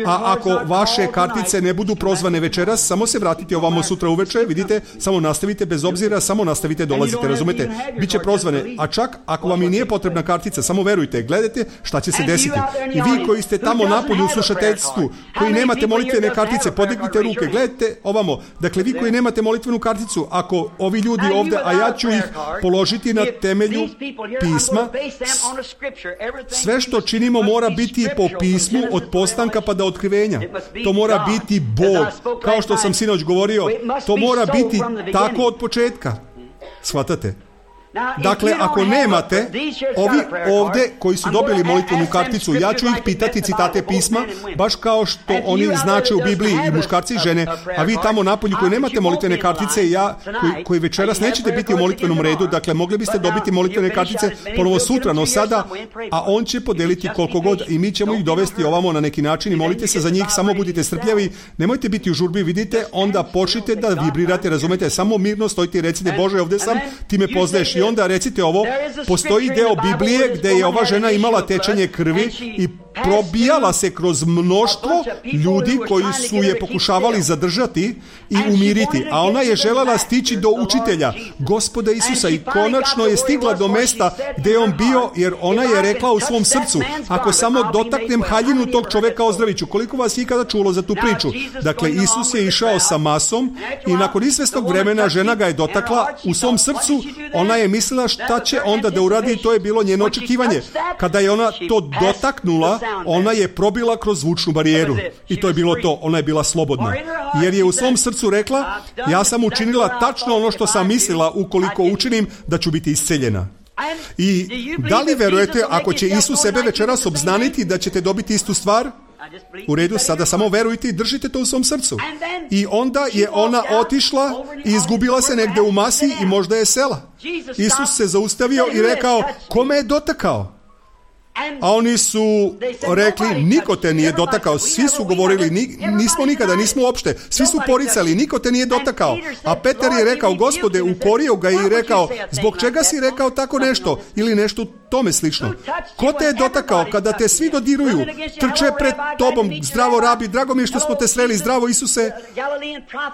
A ako vaše kartice ne budu prozvane večeras, samo se vratite ovamo sutra uveče, vidite, samo nastavite bez obzira, samo nastavite, dolazite, razumete? Biće prozvane, a čak ako vam i nije potrebna kartica, samo verujte, gledajte šta će se desiti. I vi koji ste tamo napolju u slušateljstvu, koji nemate molitvene kartice, podignite ruke, gledajte ovamo. Dakle, vi koji nemate molitvenu karticu, ako ovi ljudi ovdje, a ja ću ih položiti na temelju pisma, sve što činimo mora biti po pismu od postanka pa do otkrivenja. To mora biti Bog. Kao što sam sinoć govorio, to mora biti tako od početka. Shvatate? Dakle, ako nemate, ovi ovdje koji su dobili molitvenu karticu, ja ću ih pitati citate pisma, baš kao što oni znače u Bibliji, i muškarci i žene, a vi tamo napolju koji nemate molitvene kartice, koji večeras nećete biti u molitvenom redu, dakle, mogli biste dobiti molitvene kartice ponovo sutra, no sada, a on će podeliti koliko god i mi ćemo ih dovesti ovamo na neki način i molite se za njih, samo budite strpljavi, nemojte biti u žurbi, vidite, onda počnite da vibrirate, razumete, samo mirno stojite i recite, Bože, ovdje sam, ti me poznaješ. I onda recite ovo, postoji deo Biblije gdje je ova žena imala tečenje krvi i probijala se kroz mnoštvo ljudi koji su je pokušavali zadržati i umiriti, a ona je željela stići do učitelja, Gospoda Isusa, i konačno je stigla do mesta gdje je on bio, jer ona je rekla u svom srcu, ako samo dotaknem haljinu tog čovjeka ozdravit ću. Koliko vas je ikada čulo za tu priču? Dakle, Isus je išao sa masom i nakon izvesnog vremena žena ga je dotakla u svom srcu. Ona je mislila šta će onda da uradi, to je bilo njeno očekivanje. Kada je ona to dotaknula, ona je probila kroz zvučnu barijeru i to je bilo to, ona je bila slobodna. Jer je u svom srcu rekla, ja sam učinila tačno ono što sam mislila, ukoliko učinim da ću biti isceljena. I da li verujete, ako će Isus sebe večeras obznaniti, da ćete dobiti istu stvar? U redu, sada samo verujte i držite to u svom srcu. I onda je ona otišla i izgubila se negdje u masi i možda je sela. Isus se zaustavio i rekao, kome je dotakao? A oni su rekli, niko te nije dotakao. Svi su govorili, nismo nikada, nismo uopšte. Svi su poricali, niko te nije dotakao. A Petar je rekao, Gospode, ukorio ga i rekao, zbog čega si rekao tako nešto? Ili nešto tome slično. Ko te je dotakao? Kada te svi dodiruju, trče pred tobom, zdravo rabi, drago mi je što smo te sreli, zdravo Isuse,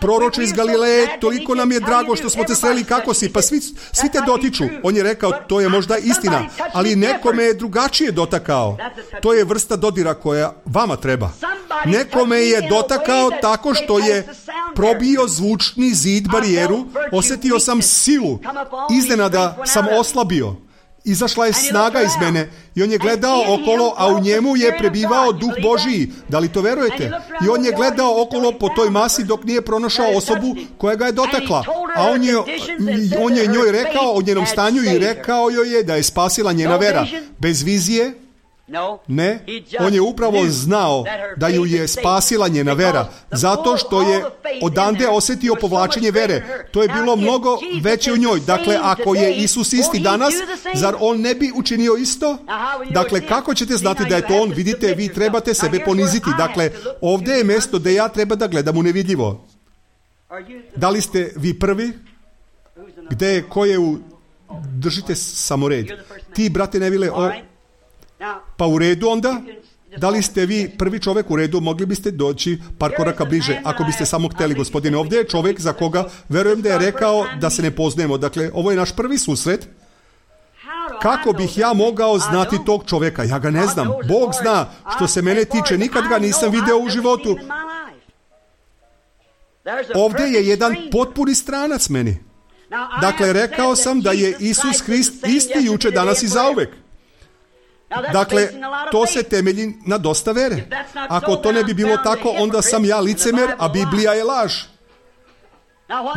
proroče iz Galileje, toliko nam je drago što smo te sreli, kako si? Pa svi te dotiču. On je rekao, to je možda istina, ali nekome je drugačije dotakao. To je vrsta dodira koja vama treba. Nekome je dotakao tako što je probio zvučni zid, barijeru, osjetio sam silu, iznenada sam oslabio. Izašla je snaga iz mene i on je gledao okolo, a u njemu je prebivao Duh Božiji. Da li to verujete? I on je gledao okolo po toj masi dok nije pronašao osobu koja ga je dotakla. A on je njoj rekao o njenom stanju i rekao joj je da je spasila njena vera. Bez vizije? Ne, on je upravo znao da ju je spasila njena vera, zato što je odande osjetio povlačenje vere. To je bilo mnogo veće u njoj. Dakle, ako je Isus isti danas, zar on ne bi učinio isto? Dakle, kako ćete znati da je to on? Vidite, vi trebate sebe poniziti. Dakle, ovdje je mjesto gdje ja treba da gledam u nevidljivo. Da li ste vi prvi? Gdje, ko je u... Držite samo red. Ti, brate Nevile, pa u redu onda, da li ste vi prvi čovjek u redu, mogli biste doći par koraka bliže, ako biste samo htjeli, gospodine. Ovdje je čovjek za koga verujem da je rekao da se ne poznajemo. Dakle, ovo je naš prvi susret. Kako bih ja mogao znati tog čovjeka? Ja ga ne znam. Bog zna. Što se mene tiče, nikad ga nisam video u životu. Ovdje je jedan potpuni stranac meni. Dakle, rekao sam da je Isus Hrist isti juče, danas i zauvek. Dakle, to se temelji na dosta vere. Ako to ne bi bilo tako, onda sam ja licemer, a Biblija je laž.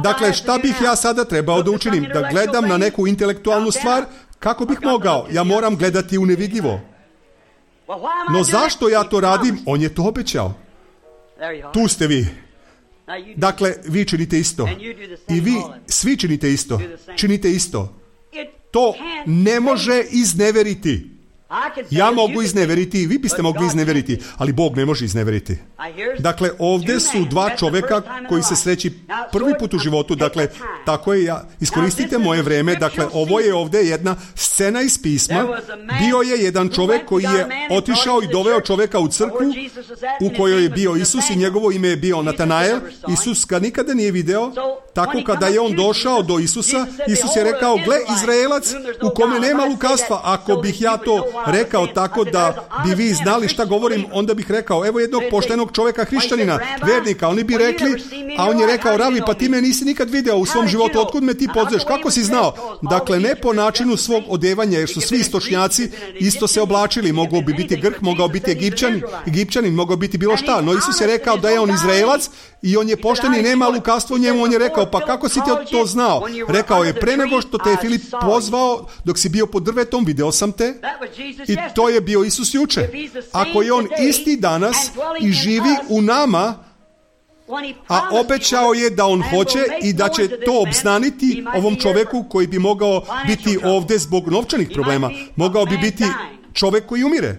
Dakle, šta bih ja sada trebao da učinim? Da gledam na neku intelektualnu stvar? Kako bih mogao? Ja moram gledati u nevidljivo. No zašto ja to radim? On je to obećao. Tu ste vi. Dakle, vi činite isto. I vi svi činite isto. Činite isto. To ne može izneveriti. Ja mogu izneveriti, vi biste mogli izneveriti, ali Bog ne može izneveriti. Dakle, ovdje su dva čovjeka koji se sreći prvi put u životu. Dakle, tako je, iskoristite moje vrijeme. Dakle, ovo je ovdje jedna scena iz pisma. Bio je jedan čovjek koji je otišao i doveo čovjeka u crkvu u kojoj je bio Isus i njegovo ime je bio Natanael. Isus ga nikada nije video. Tako kada je on došao do Isusa, Isus je rekao, gle, Izraelac u kome nema lukavstva. Ako bih ja to rekao tako da bi vi znali šta govorim, onda bih rekao, evo jednog poštenog čovjeka, hrišćanina, vernika. Oni bi rekli, a on je rekao, Ravi, pa ti me nisi nikad video u svom životu, otkud me ti poznaš, kako si znao? Dakle, ne po načinu svog odevanja, jer su svi istočnjaci isto se oblačili. Mogao bi biti Grk, mogao biti Egipćanin, mogao biti bilo šta. No Isus je rekao da je on Izraelac i on je pošten i nema lukavstvo u njemu. On je rekao, pa kako si ti to znao? Rekao je, pre nego što te je Filip pozvao, dok si bio pod drvetom, video sam te. I to je bio Isus juče. Ako je on isti danas i živi u nama, a obećao je da on hoće i da će to obznaniti ovom čovjeku koji bi mogao biti ovdje zbog novčanih problema, mogao bi biti čovjek koji umire,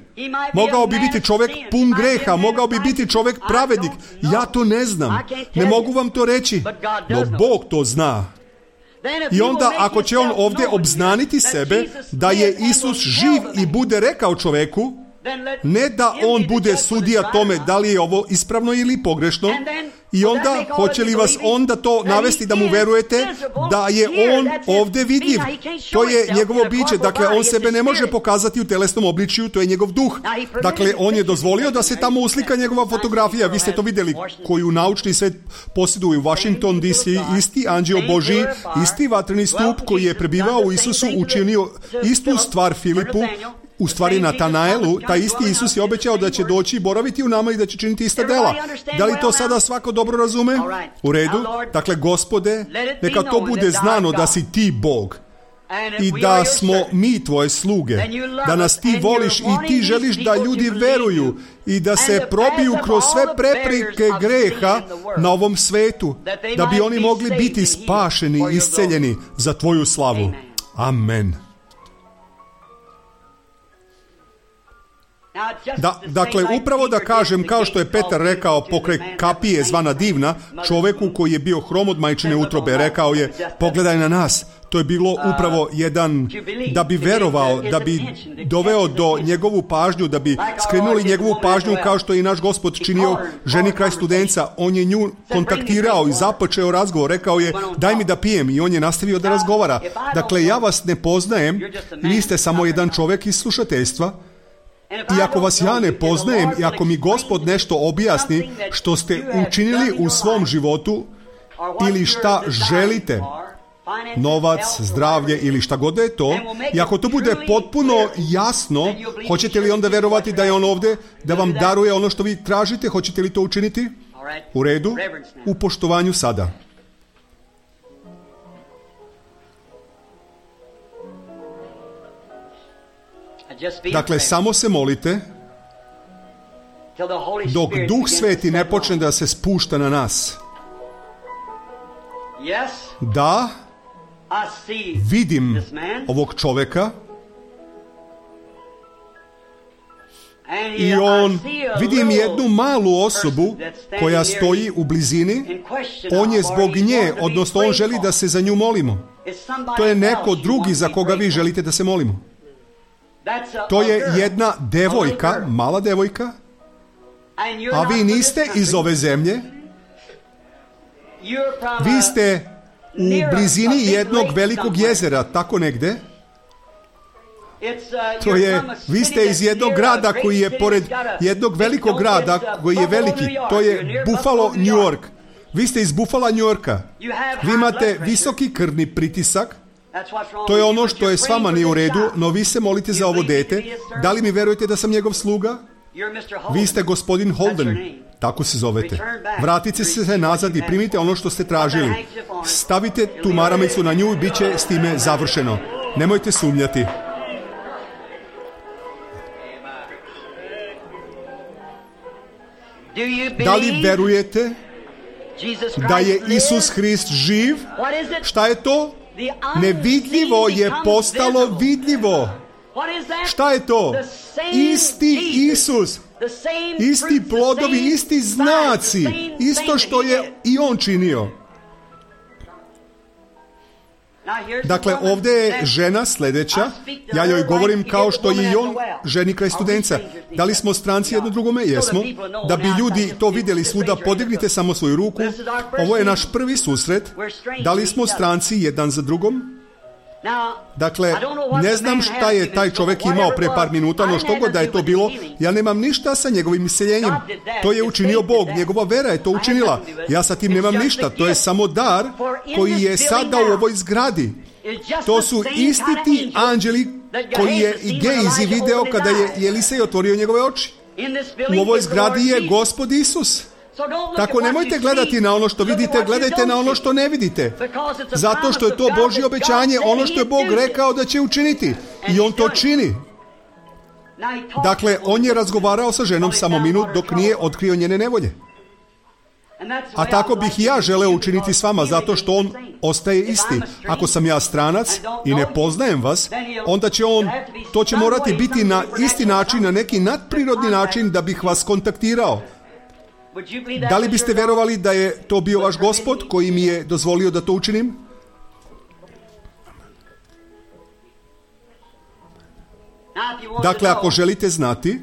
mogao bi biti čovjek pun greha, mogao bi biti čovjek pravednik. Ja to ne znam, ne mogu vam to reći, no Bog to zna. I onda ako će on ovdje obznaniti sebe da je Isus živ i bude rekao čoveku, ne da on bude sudija tome da li je ovo ispravno ili pogrešno, i onda hoće li vas onda to navesti da mu verujete da je on ovdje vidljiv. To je njegovo biće, dakle on sebe ne može pokazati u telesnom obličju, to je njegov duh. Dakle, on je dozvolio da se tamo uslika njegova fotografija, vi ste to vidjeli, koju naučni svet posjeduje u Washington DC, isti anđeo Božji, isti vatreni stup koji je prebivao u Isusu, učinio istu stvar Filipu, u stvari Natanaelu. Taj isti Isus je obećao da će doći i boraviti u nama i da će činiti ista dela. Da li to sada svako dobro razume? U redu. Dakle, Gospode, neka to bude znano da si ti Bog i da smo mi tvoje sluge, da nas ti voliš i ti želiš da ljudi veruju i da se probiju kroz sve prepreke greha na ovom svetu, da bi oni mogli biti spašeni i isceljeni za tvoju slavu. Amen. Dakle, upravo da kažem, kao što je Petar rekao pokraj kapije zvana Divna, čoveku koji je bio hrom od majčine utrobe, rekao je, pogledaj na nas. To je bilo upravo jedan, da bi verovao, da bi doveo do njegovu pažnju, da bi skrenuli njegovu pažnju kao što je i naš Gospod činio ženi kraj Studenca. On je nju kontaktirao i započeo razgovor, rekao je, daj mi da pijem, i on je nastavio da razgovara. Dakle, ja vas ne poznajem, vi ste samo jedan čovjek iz slušateljstva. I ako vas ja ne poznajem i ako mi Gospod nešto objasni što ste učinili u svom životu ili šta želite, novac, zdravlje ili šta god je to, i ako to bude potpuno jasno, hoćete li onda verovati da je on ovdje, da vam daruje ono što vi tražite? Hoćete li to učiniti? U redu? U poštovanju sada. Dakle, samo se molite dok Duh Sveti ne počne da se spušta na nas. Da, vidim ovog čovjeka i vidim jednu malu osobu koja stoji u blizini. On je zbog nje, odnosno on želi da se za nju molimo. To je neko drugi za koga vi želite da se molimo. To je jedna devojka, mala devojka, a vi niste iz ove zemlje. Vi ste u blizini jednog velikog jezera, tako negde. Vi ste iz jednog grada koji je pored jednog velikog grada koji je veliki. To je Buffalo, New York. Vi ste iz Buffalo, New Yorka. Vi imate visoki krvni pritisak. To je ono što je s vama nije u redu, no vi se molite za ovo dete. Da li mi verujete da sam njegov sluga? Vi ste gospodin Holden, tako se zovete. Vratite se nazad i primite ono što ste tražili. Stavite tu maramicu na nju i bit će s time završeno. Nemojte sumnjati. Da li verujete da je Isus Hrist živ? Šta je to? Nevidljivo je postalo vidljivo. Šta je to? Isti Isus, isti plodovi, isti znaci, isto što je i on činio. Dakle, ovdje je žena sljedeća, ja joj govorim kao što je i on ženi kraj Studenca. Da li smo stranci jedno drugome? Jesmo. Da bi ljudi to vidjeli svuda, podignite samo svoju ruku. Ovo je naš prvi susret. Da li smo stranci jedan za drugom? Dakle, ne znam šta je taj čovjek imao pre par minuta, no što god da je to bilo, ja nemam ništa sa njegovim iseljenjem. To je učinio Bog, njegova vera je to učinila. Ja sa tim nemam ništa, to je samo dar koji je sada u ovoj zgradi. To su isti ti anđeli koji je i Gejzi video kada je Elisej otvorio njegove oči. U ovoj zgradi je Gospod Isus. Tako nemojte gledati na ono što vidite, gledajte na ono što ne vidite. Zato što je to Božje obećanje, ono što je Bog rekao da će učiniti. I on to čini. Dakle, on je razgovarao sa ženom samo minut dok nije otkrio njene nevolje. A tako bih i ja želeo učiniti s vama, zato što on ostaje isti. Ako sam ja stranac i ne poznajem vas, onda će to će morati biti na isti način, na neki nadprirodni način da bih vas kontaktirao. Da li biste vjerovali da je to bio vaš Gospod koji mi je dozvolio da to učinim? Dakle, ako želite znati,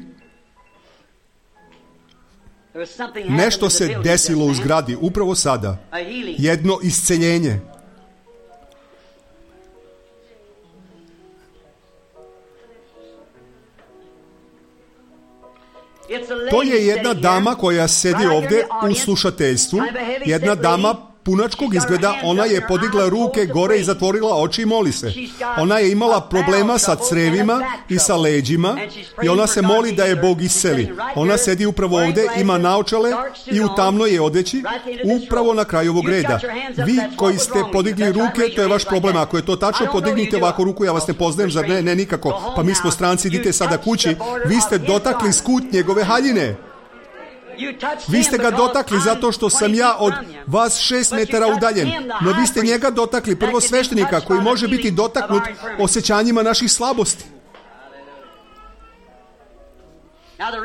nešto se desilo u zgradi upravo sada. Jedno isceljenje. To je jedna dama koja sedi ovdje u slušateljstvu. Jedna dama punačkog izgleda, ona je podigla ruke gore i zatvorila oči i moli se. Ona je imala problema sa crevima i sa leđima i ona se moli da je Bog isceli. Ona sedi upravo ovdje, ima naočale i u tamnoj je odeći, upravo na kraju ovog reda. Vi koji ste podigli ruke, to je vaš problem. Ako je to tačno, podignite ovako ruku, ja vas ne poznajem, zar ne? Ne, nikako. Pa mi smo stranci, idite sada kući. Vi ste dotakli skut njegove haljine. Vi ste ga dotakli zato što sam ja od vas 6 metara udaljen. No vi ste njega dotakli, prvo sveštenika koji može biti dotaknut osjećanjima naših slabosti.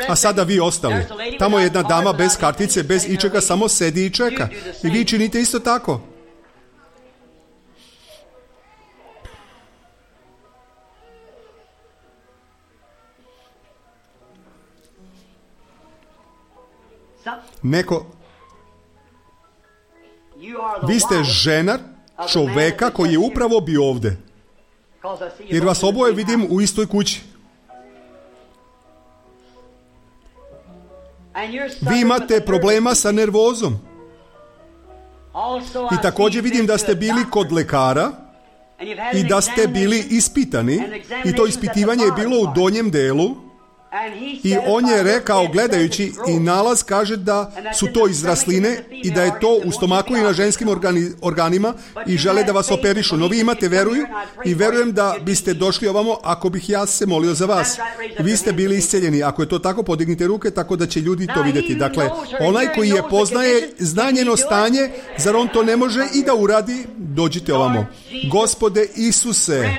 A sada vi ostali. Tamo je jedna dama bez kartice, bez ičega, samo sedi i čeka. I vi činite isto tako. Neko, vi ste žena čoveka koji je upravo bio ovdje. Jer vas oboje vidim u istoj kući. Vi imate problema sa nervozom. I također vidim da ste bili kod lekara i da ste bili ispitani. I to ispitivanje je bilo u donjem delu. I on je rekao, gledajući, i nalaz kaže da su to izrasline i da je to u stomaku i na ženskim organima i žele da vas operišu. No vi imate veruju i verujem da biste došli ovamo ako bih ja se molio za vas. Vi ste bili isceljeni. Ako je to tako, podignite ruke tako da će ljudi to vidjeti. Dakle, onaj koji je poznaje, zna njeno stanje, zar on to ne može i da uradi? Dođite ovamo. Gospode Isuse,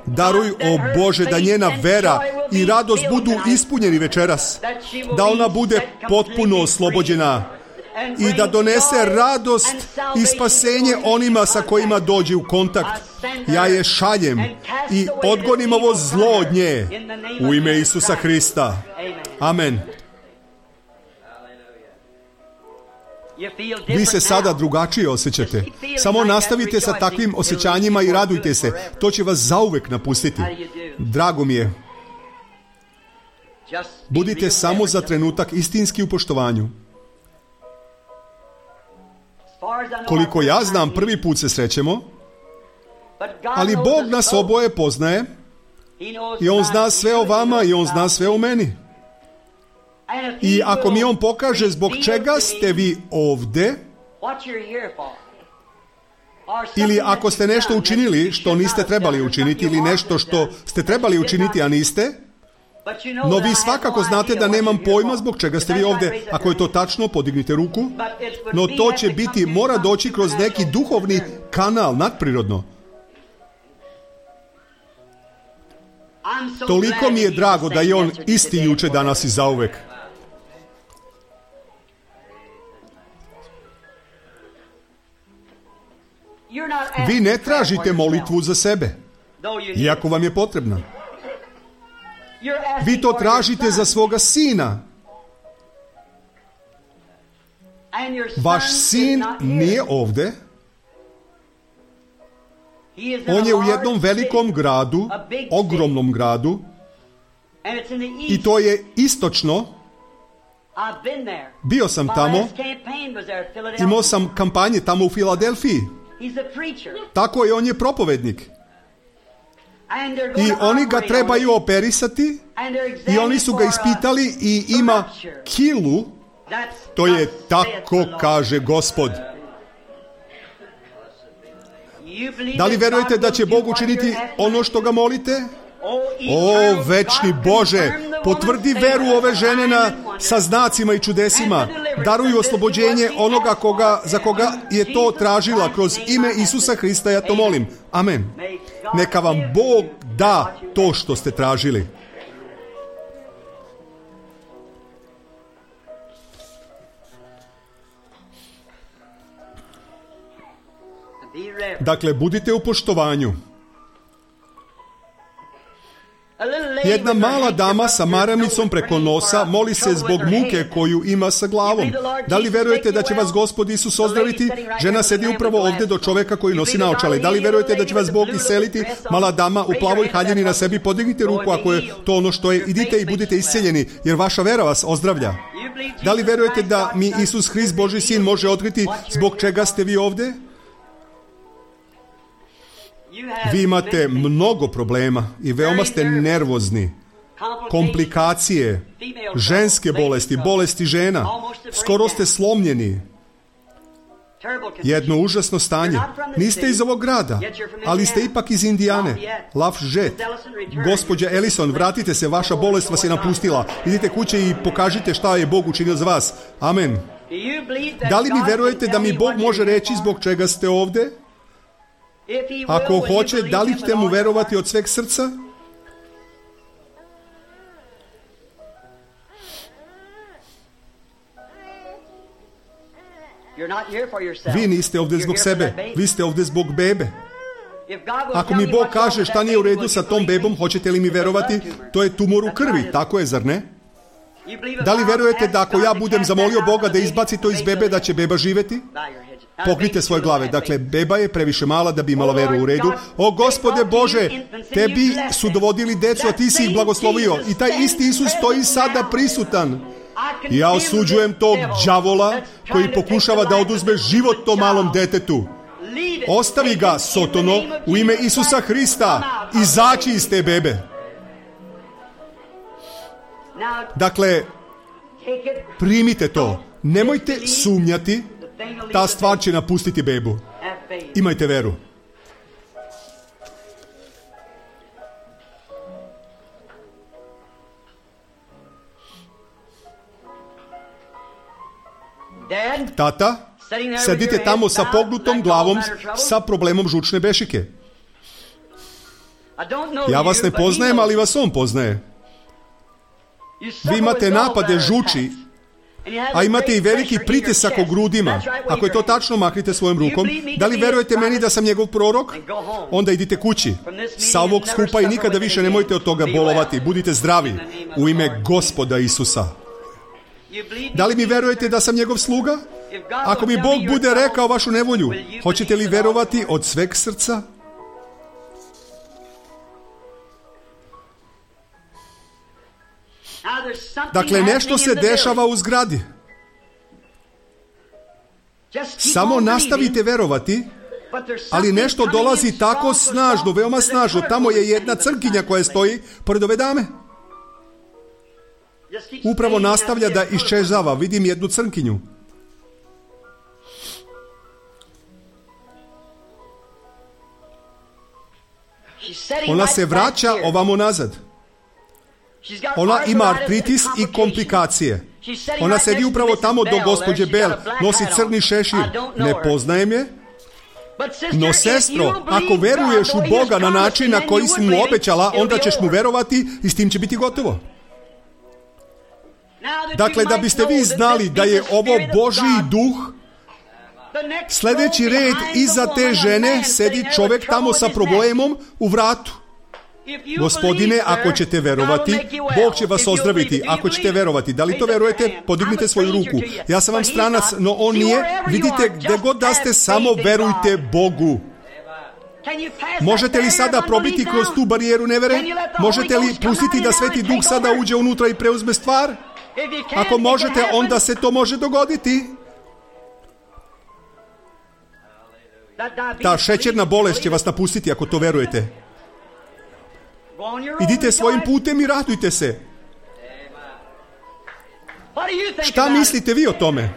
daruj, o Bože, da njena vera i radost budu ispunjeni večeras, da ona bude potpuno oslobođena i da donese radost i spasenje onima sa kojima dođe u kontakt. Ja je šaljem i odgonim ovo zlo od nje u ime Isusa Hrista. Amen. Vi se sada drugačije osjećate. Samo nastavite sa takvim osjećanjima i radujte se. To će vas zauvek napustiti. Drago mi je. Budite samo za trenutak istinski u poštovanju. Koliko ja znam, prvi put se srećemo, ali Bog nas oboje poznaje i On zna sve o vama i On zna sve o meni. I ako mi On pokaže zbog čega ste vi ovdje, ili ako ste nešto učinili što niste trebali učiniti, ili nešto što ste trebali učiniti, a niste, no vi svakako znate da nemam pojma zbog čega ste vi ovdje. Ako je to tačno, podignite ruku. No to će biti, mora doći kroz neki duhovni kanal, nadprirodno. Toliko mi je drago da je On isti juče, danas i zauvek. Vi ne tražite molitvu za sebe, iako vam je potrebna. Vi to tražite za svoga sina. Vaš sin nije ovdje. On je u jednom velikom gradu, ogromnom gradu, i to je istočno. Bio sam tamo, imao sam kampanje tamo u Filadelfiji. Tako je, on je propovednik. I oni ga trebaju operisati i oni su ga ispitali i ima kilu. To je tako kaže Gospod. Da li verujete da će Bog učiniti ono što ga molite? O, večni Bože, potvrdi veru ove žene sa znacima i čudesima. Daruju oslobođenje onoga za koga je to tražila. Kroz ime Isusa Hrista ja to molim. Amen. Neka vam Bog da to što ste tražili. Dakle, budite u poštovanju. Jedna mala dama sa maramicom preko nosa moli se zbog muke koju ima sa glavom. Da li verujete da će vas Gospod Isus ozdraviti? Žena sedi upravo ovdje do čovjeka koji nosi naočale. Da li verujete da će vas Bog isceliti? Mala dama u plavoj haljini na sebi, podignite ruku ako je to ono što je. Idite i budite isceljeni, jer vaša vera vas ozdravlja. Da li verujete da mi Isus Hrist, Božji sin, može otkriti zbog čega ste vi ovdje? Vi imate mnogo problema i veoma ste nervozni. Komplikacije, ženske bolesti, bolesti žena. Skoro ste slomljeni. Jedno užasno stanje. Niste iz ovog grada, ali ste ipak iz Indijane. Lafayette. Gospođa Ellison, vratite se, vaša bolest vas je napustila. Idite kuće i pokažite šta je Bog učinio za vas. Amen. Da li mi verujete da mi Bog može reći zbog čega ste ovdje? Ako hoće, da li ćete mu verovati od sveg srca? Vi niste ovdje zbog sebe, vi ste ovdje zbog bebe. Ako mi Bog kaže šta nije u redu sa tom bebom, hoćete li mi verovati? To je tumor u krvi, tako je, zar ne? Da li verujete da ako ja budem zamolio Boga da izbaci to iz bebe, da će beba živjeti? Pognite svoje glave. Dakle, beba je previše mala da bi imala veru. U redu. O Gospode Bože, tebi su dovodili decu, a ti si ih blagoslovio. I taj isti Isus stoji sada prisutan. I ja osuđujem tog đavola koji pokušava da oduzme život tom malom detetu. Ostavi ga, Sotono, u ime Isusa Hrista. Izaći iz te bebe. Dakle, primite to. Nemojte sumnjati. Ta stvar će napustiti bebu. Imajte veru. Tata, sedite tamo sa pognutom glavom sa problemom žučne bešike. Ja vas ne poznajem, ali vas on poznaje. Vi imate napade žuči, a imate i veliki pritisak u grudima. Ako je to tačno, mahnite svojom rukom. Da li verujete meni da sam njegov prorok? Onda idite kući. Sa ovog skupa i nikada više nemojte od toga bolovati. Budite zdravi u ime Gospoda Isusa. Da li mi verujete da sam njegov sluga? Ako mi Bog bude rekao vašu nevolju, hoćete li verovati od sveg srca? Dakle, nešto se dešava u zgradi. Samo nastavite verovati, ali nešto dolazi tako snažno, veoma snažno. Tamo je jedna crnkinja koja stoji pored ove dame. Upravo nastavlja da iščezava. Vidim jednu crnkinju. Ona se vraća ovamo nazad. Ona ima artritis i komplikacije. Ona sedi upravo tamo do gospođe Bell. Nosi crni šešir. Ne poznajem je. No, sestro, ako veruješ u Boga na način na koji si mu obećala, onda ćeš mu verovati i s tim će biti gotovo. Dakle, da biste vi znali da je ovo Božji duh, sljedeći red iza te žene sedi čovjek tamo sa problemom u vratu. Gospodine, ako ćete verovati, Bog će vas ozdraviti. Ako ćete verovati, da li to verujete? Podignite svoju ruku. Ja sam vam stranac, no on nije. Vidite, gdje god da ste, samo verujte Bogu. Možete li sada probiti kroz tu barijeru nevere? Možete li pustiti da Sveti Duh sada uđe unutra i preuzme stvar? Ako možete, onda se to može dogoditi. Ta šećerna bolest će vas napustiti ako to verujete. Idite svojim putem i radujte se. Šta mislite vi o tome?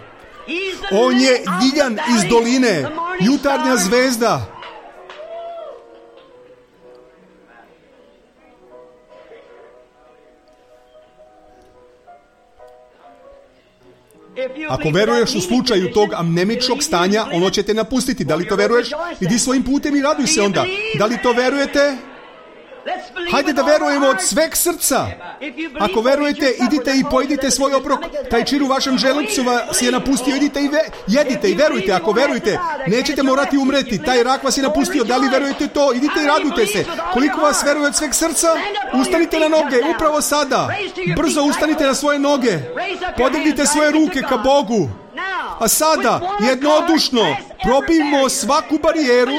On je Ljiljan iz doline, jutarnja zvezda. Ako veruješ u slučaju tog amnemičnog stanja, ono će te napustiti. Da li to veruješ? Idi svojim putem i raduj se onda. Da li to verujete? Hajde da verujemo od sveg srca. Ako verujete, idite i pojedite svoj obrok. Taj čir u vašem želucu vas je napustio. Idite i jedite i verujte. Ako verujete, nećete morati umreti. Taj rak vas je napustio. Da li verujete to? Idite i radujte se. Koliko vas veruje od sveg srca? Ustanite na noge, upravo sada. Brzo ustanite na svoje noge. Podignite svoje ruke ka Bogu. A sada, jednodušno, probijmo svaku barijeru,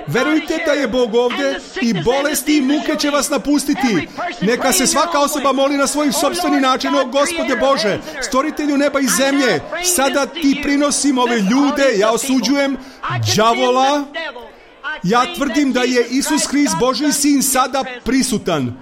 verujte da je Bog ovdje i bolesti i muke će vas napustiti. Neka se svaka osoba moli na svoj sopstveni način. O Gospode Bože, stvoritelju neba i zemlje, sada ti prinosim ove ljude, ja osuđujem đavola, ja tvrdim da je Isus Hrist, Božji sin, sada prisutan.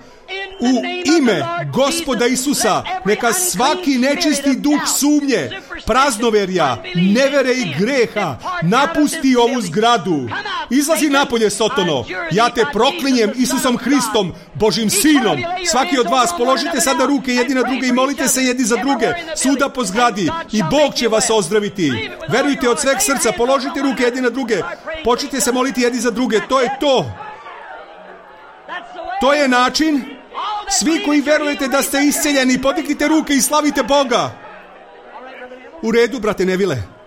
U ime Gospoda Isusa, neka svaki nečisti duh sumnje, praznoverja, nevere i greha napusti ovu zgradu. Izlazi napolje, Sotono. Ja te proklinjem Isusom Hristom, Božim sinom. Svaki od vas položite sada ruke jedni na druge i molite se jedni za druge. Svuda po zgradi i Bog će vas ozdraviti. Verujte od sveg srca, položite ruke jedni na druge. Počnite se moliti jedni za druge. To je to. To je način. Svi koji verujete da ste isceljeni, podignite ruke i slavite Boga. U redu, brate Nevile.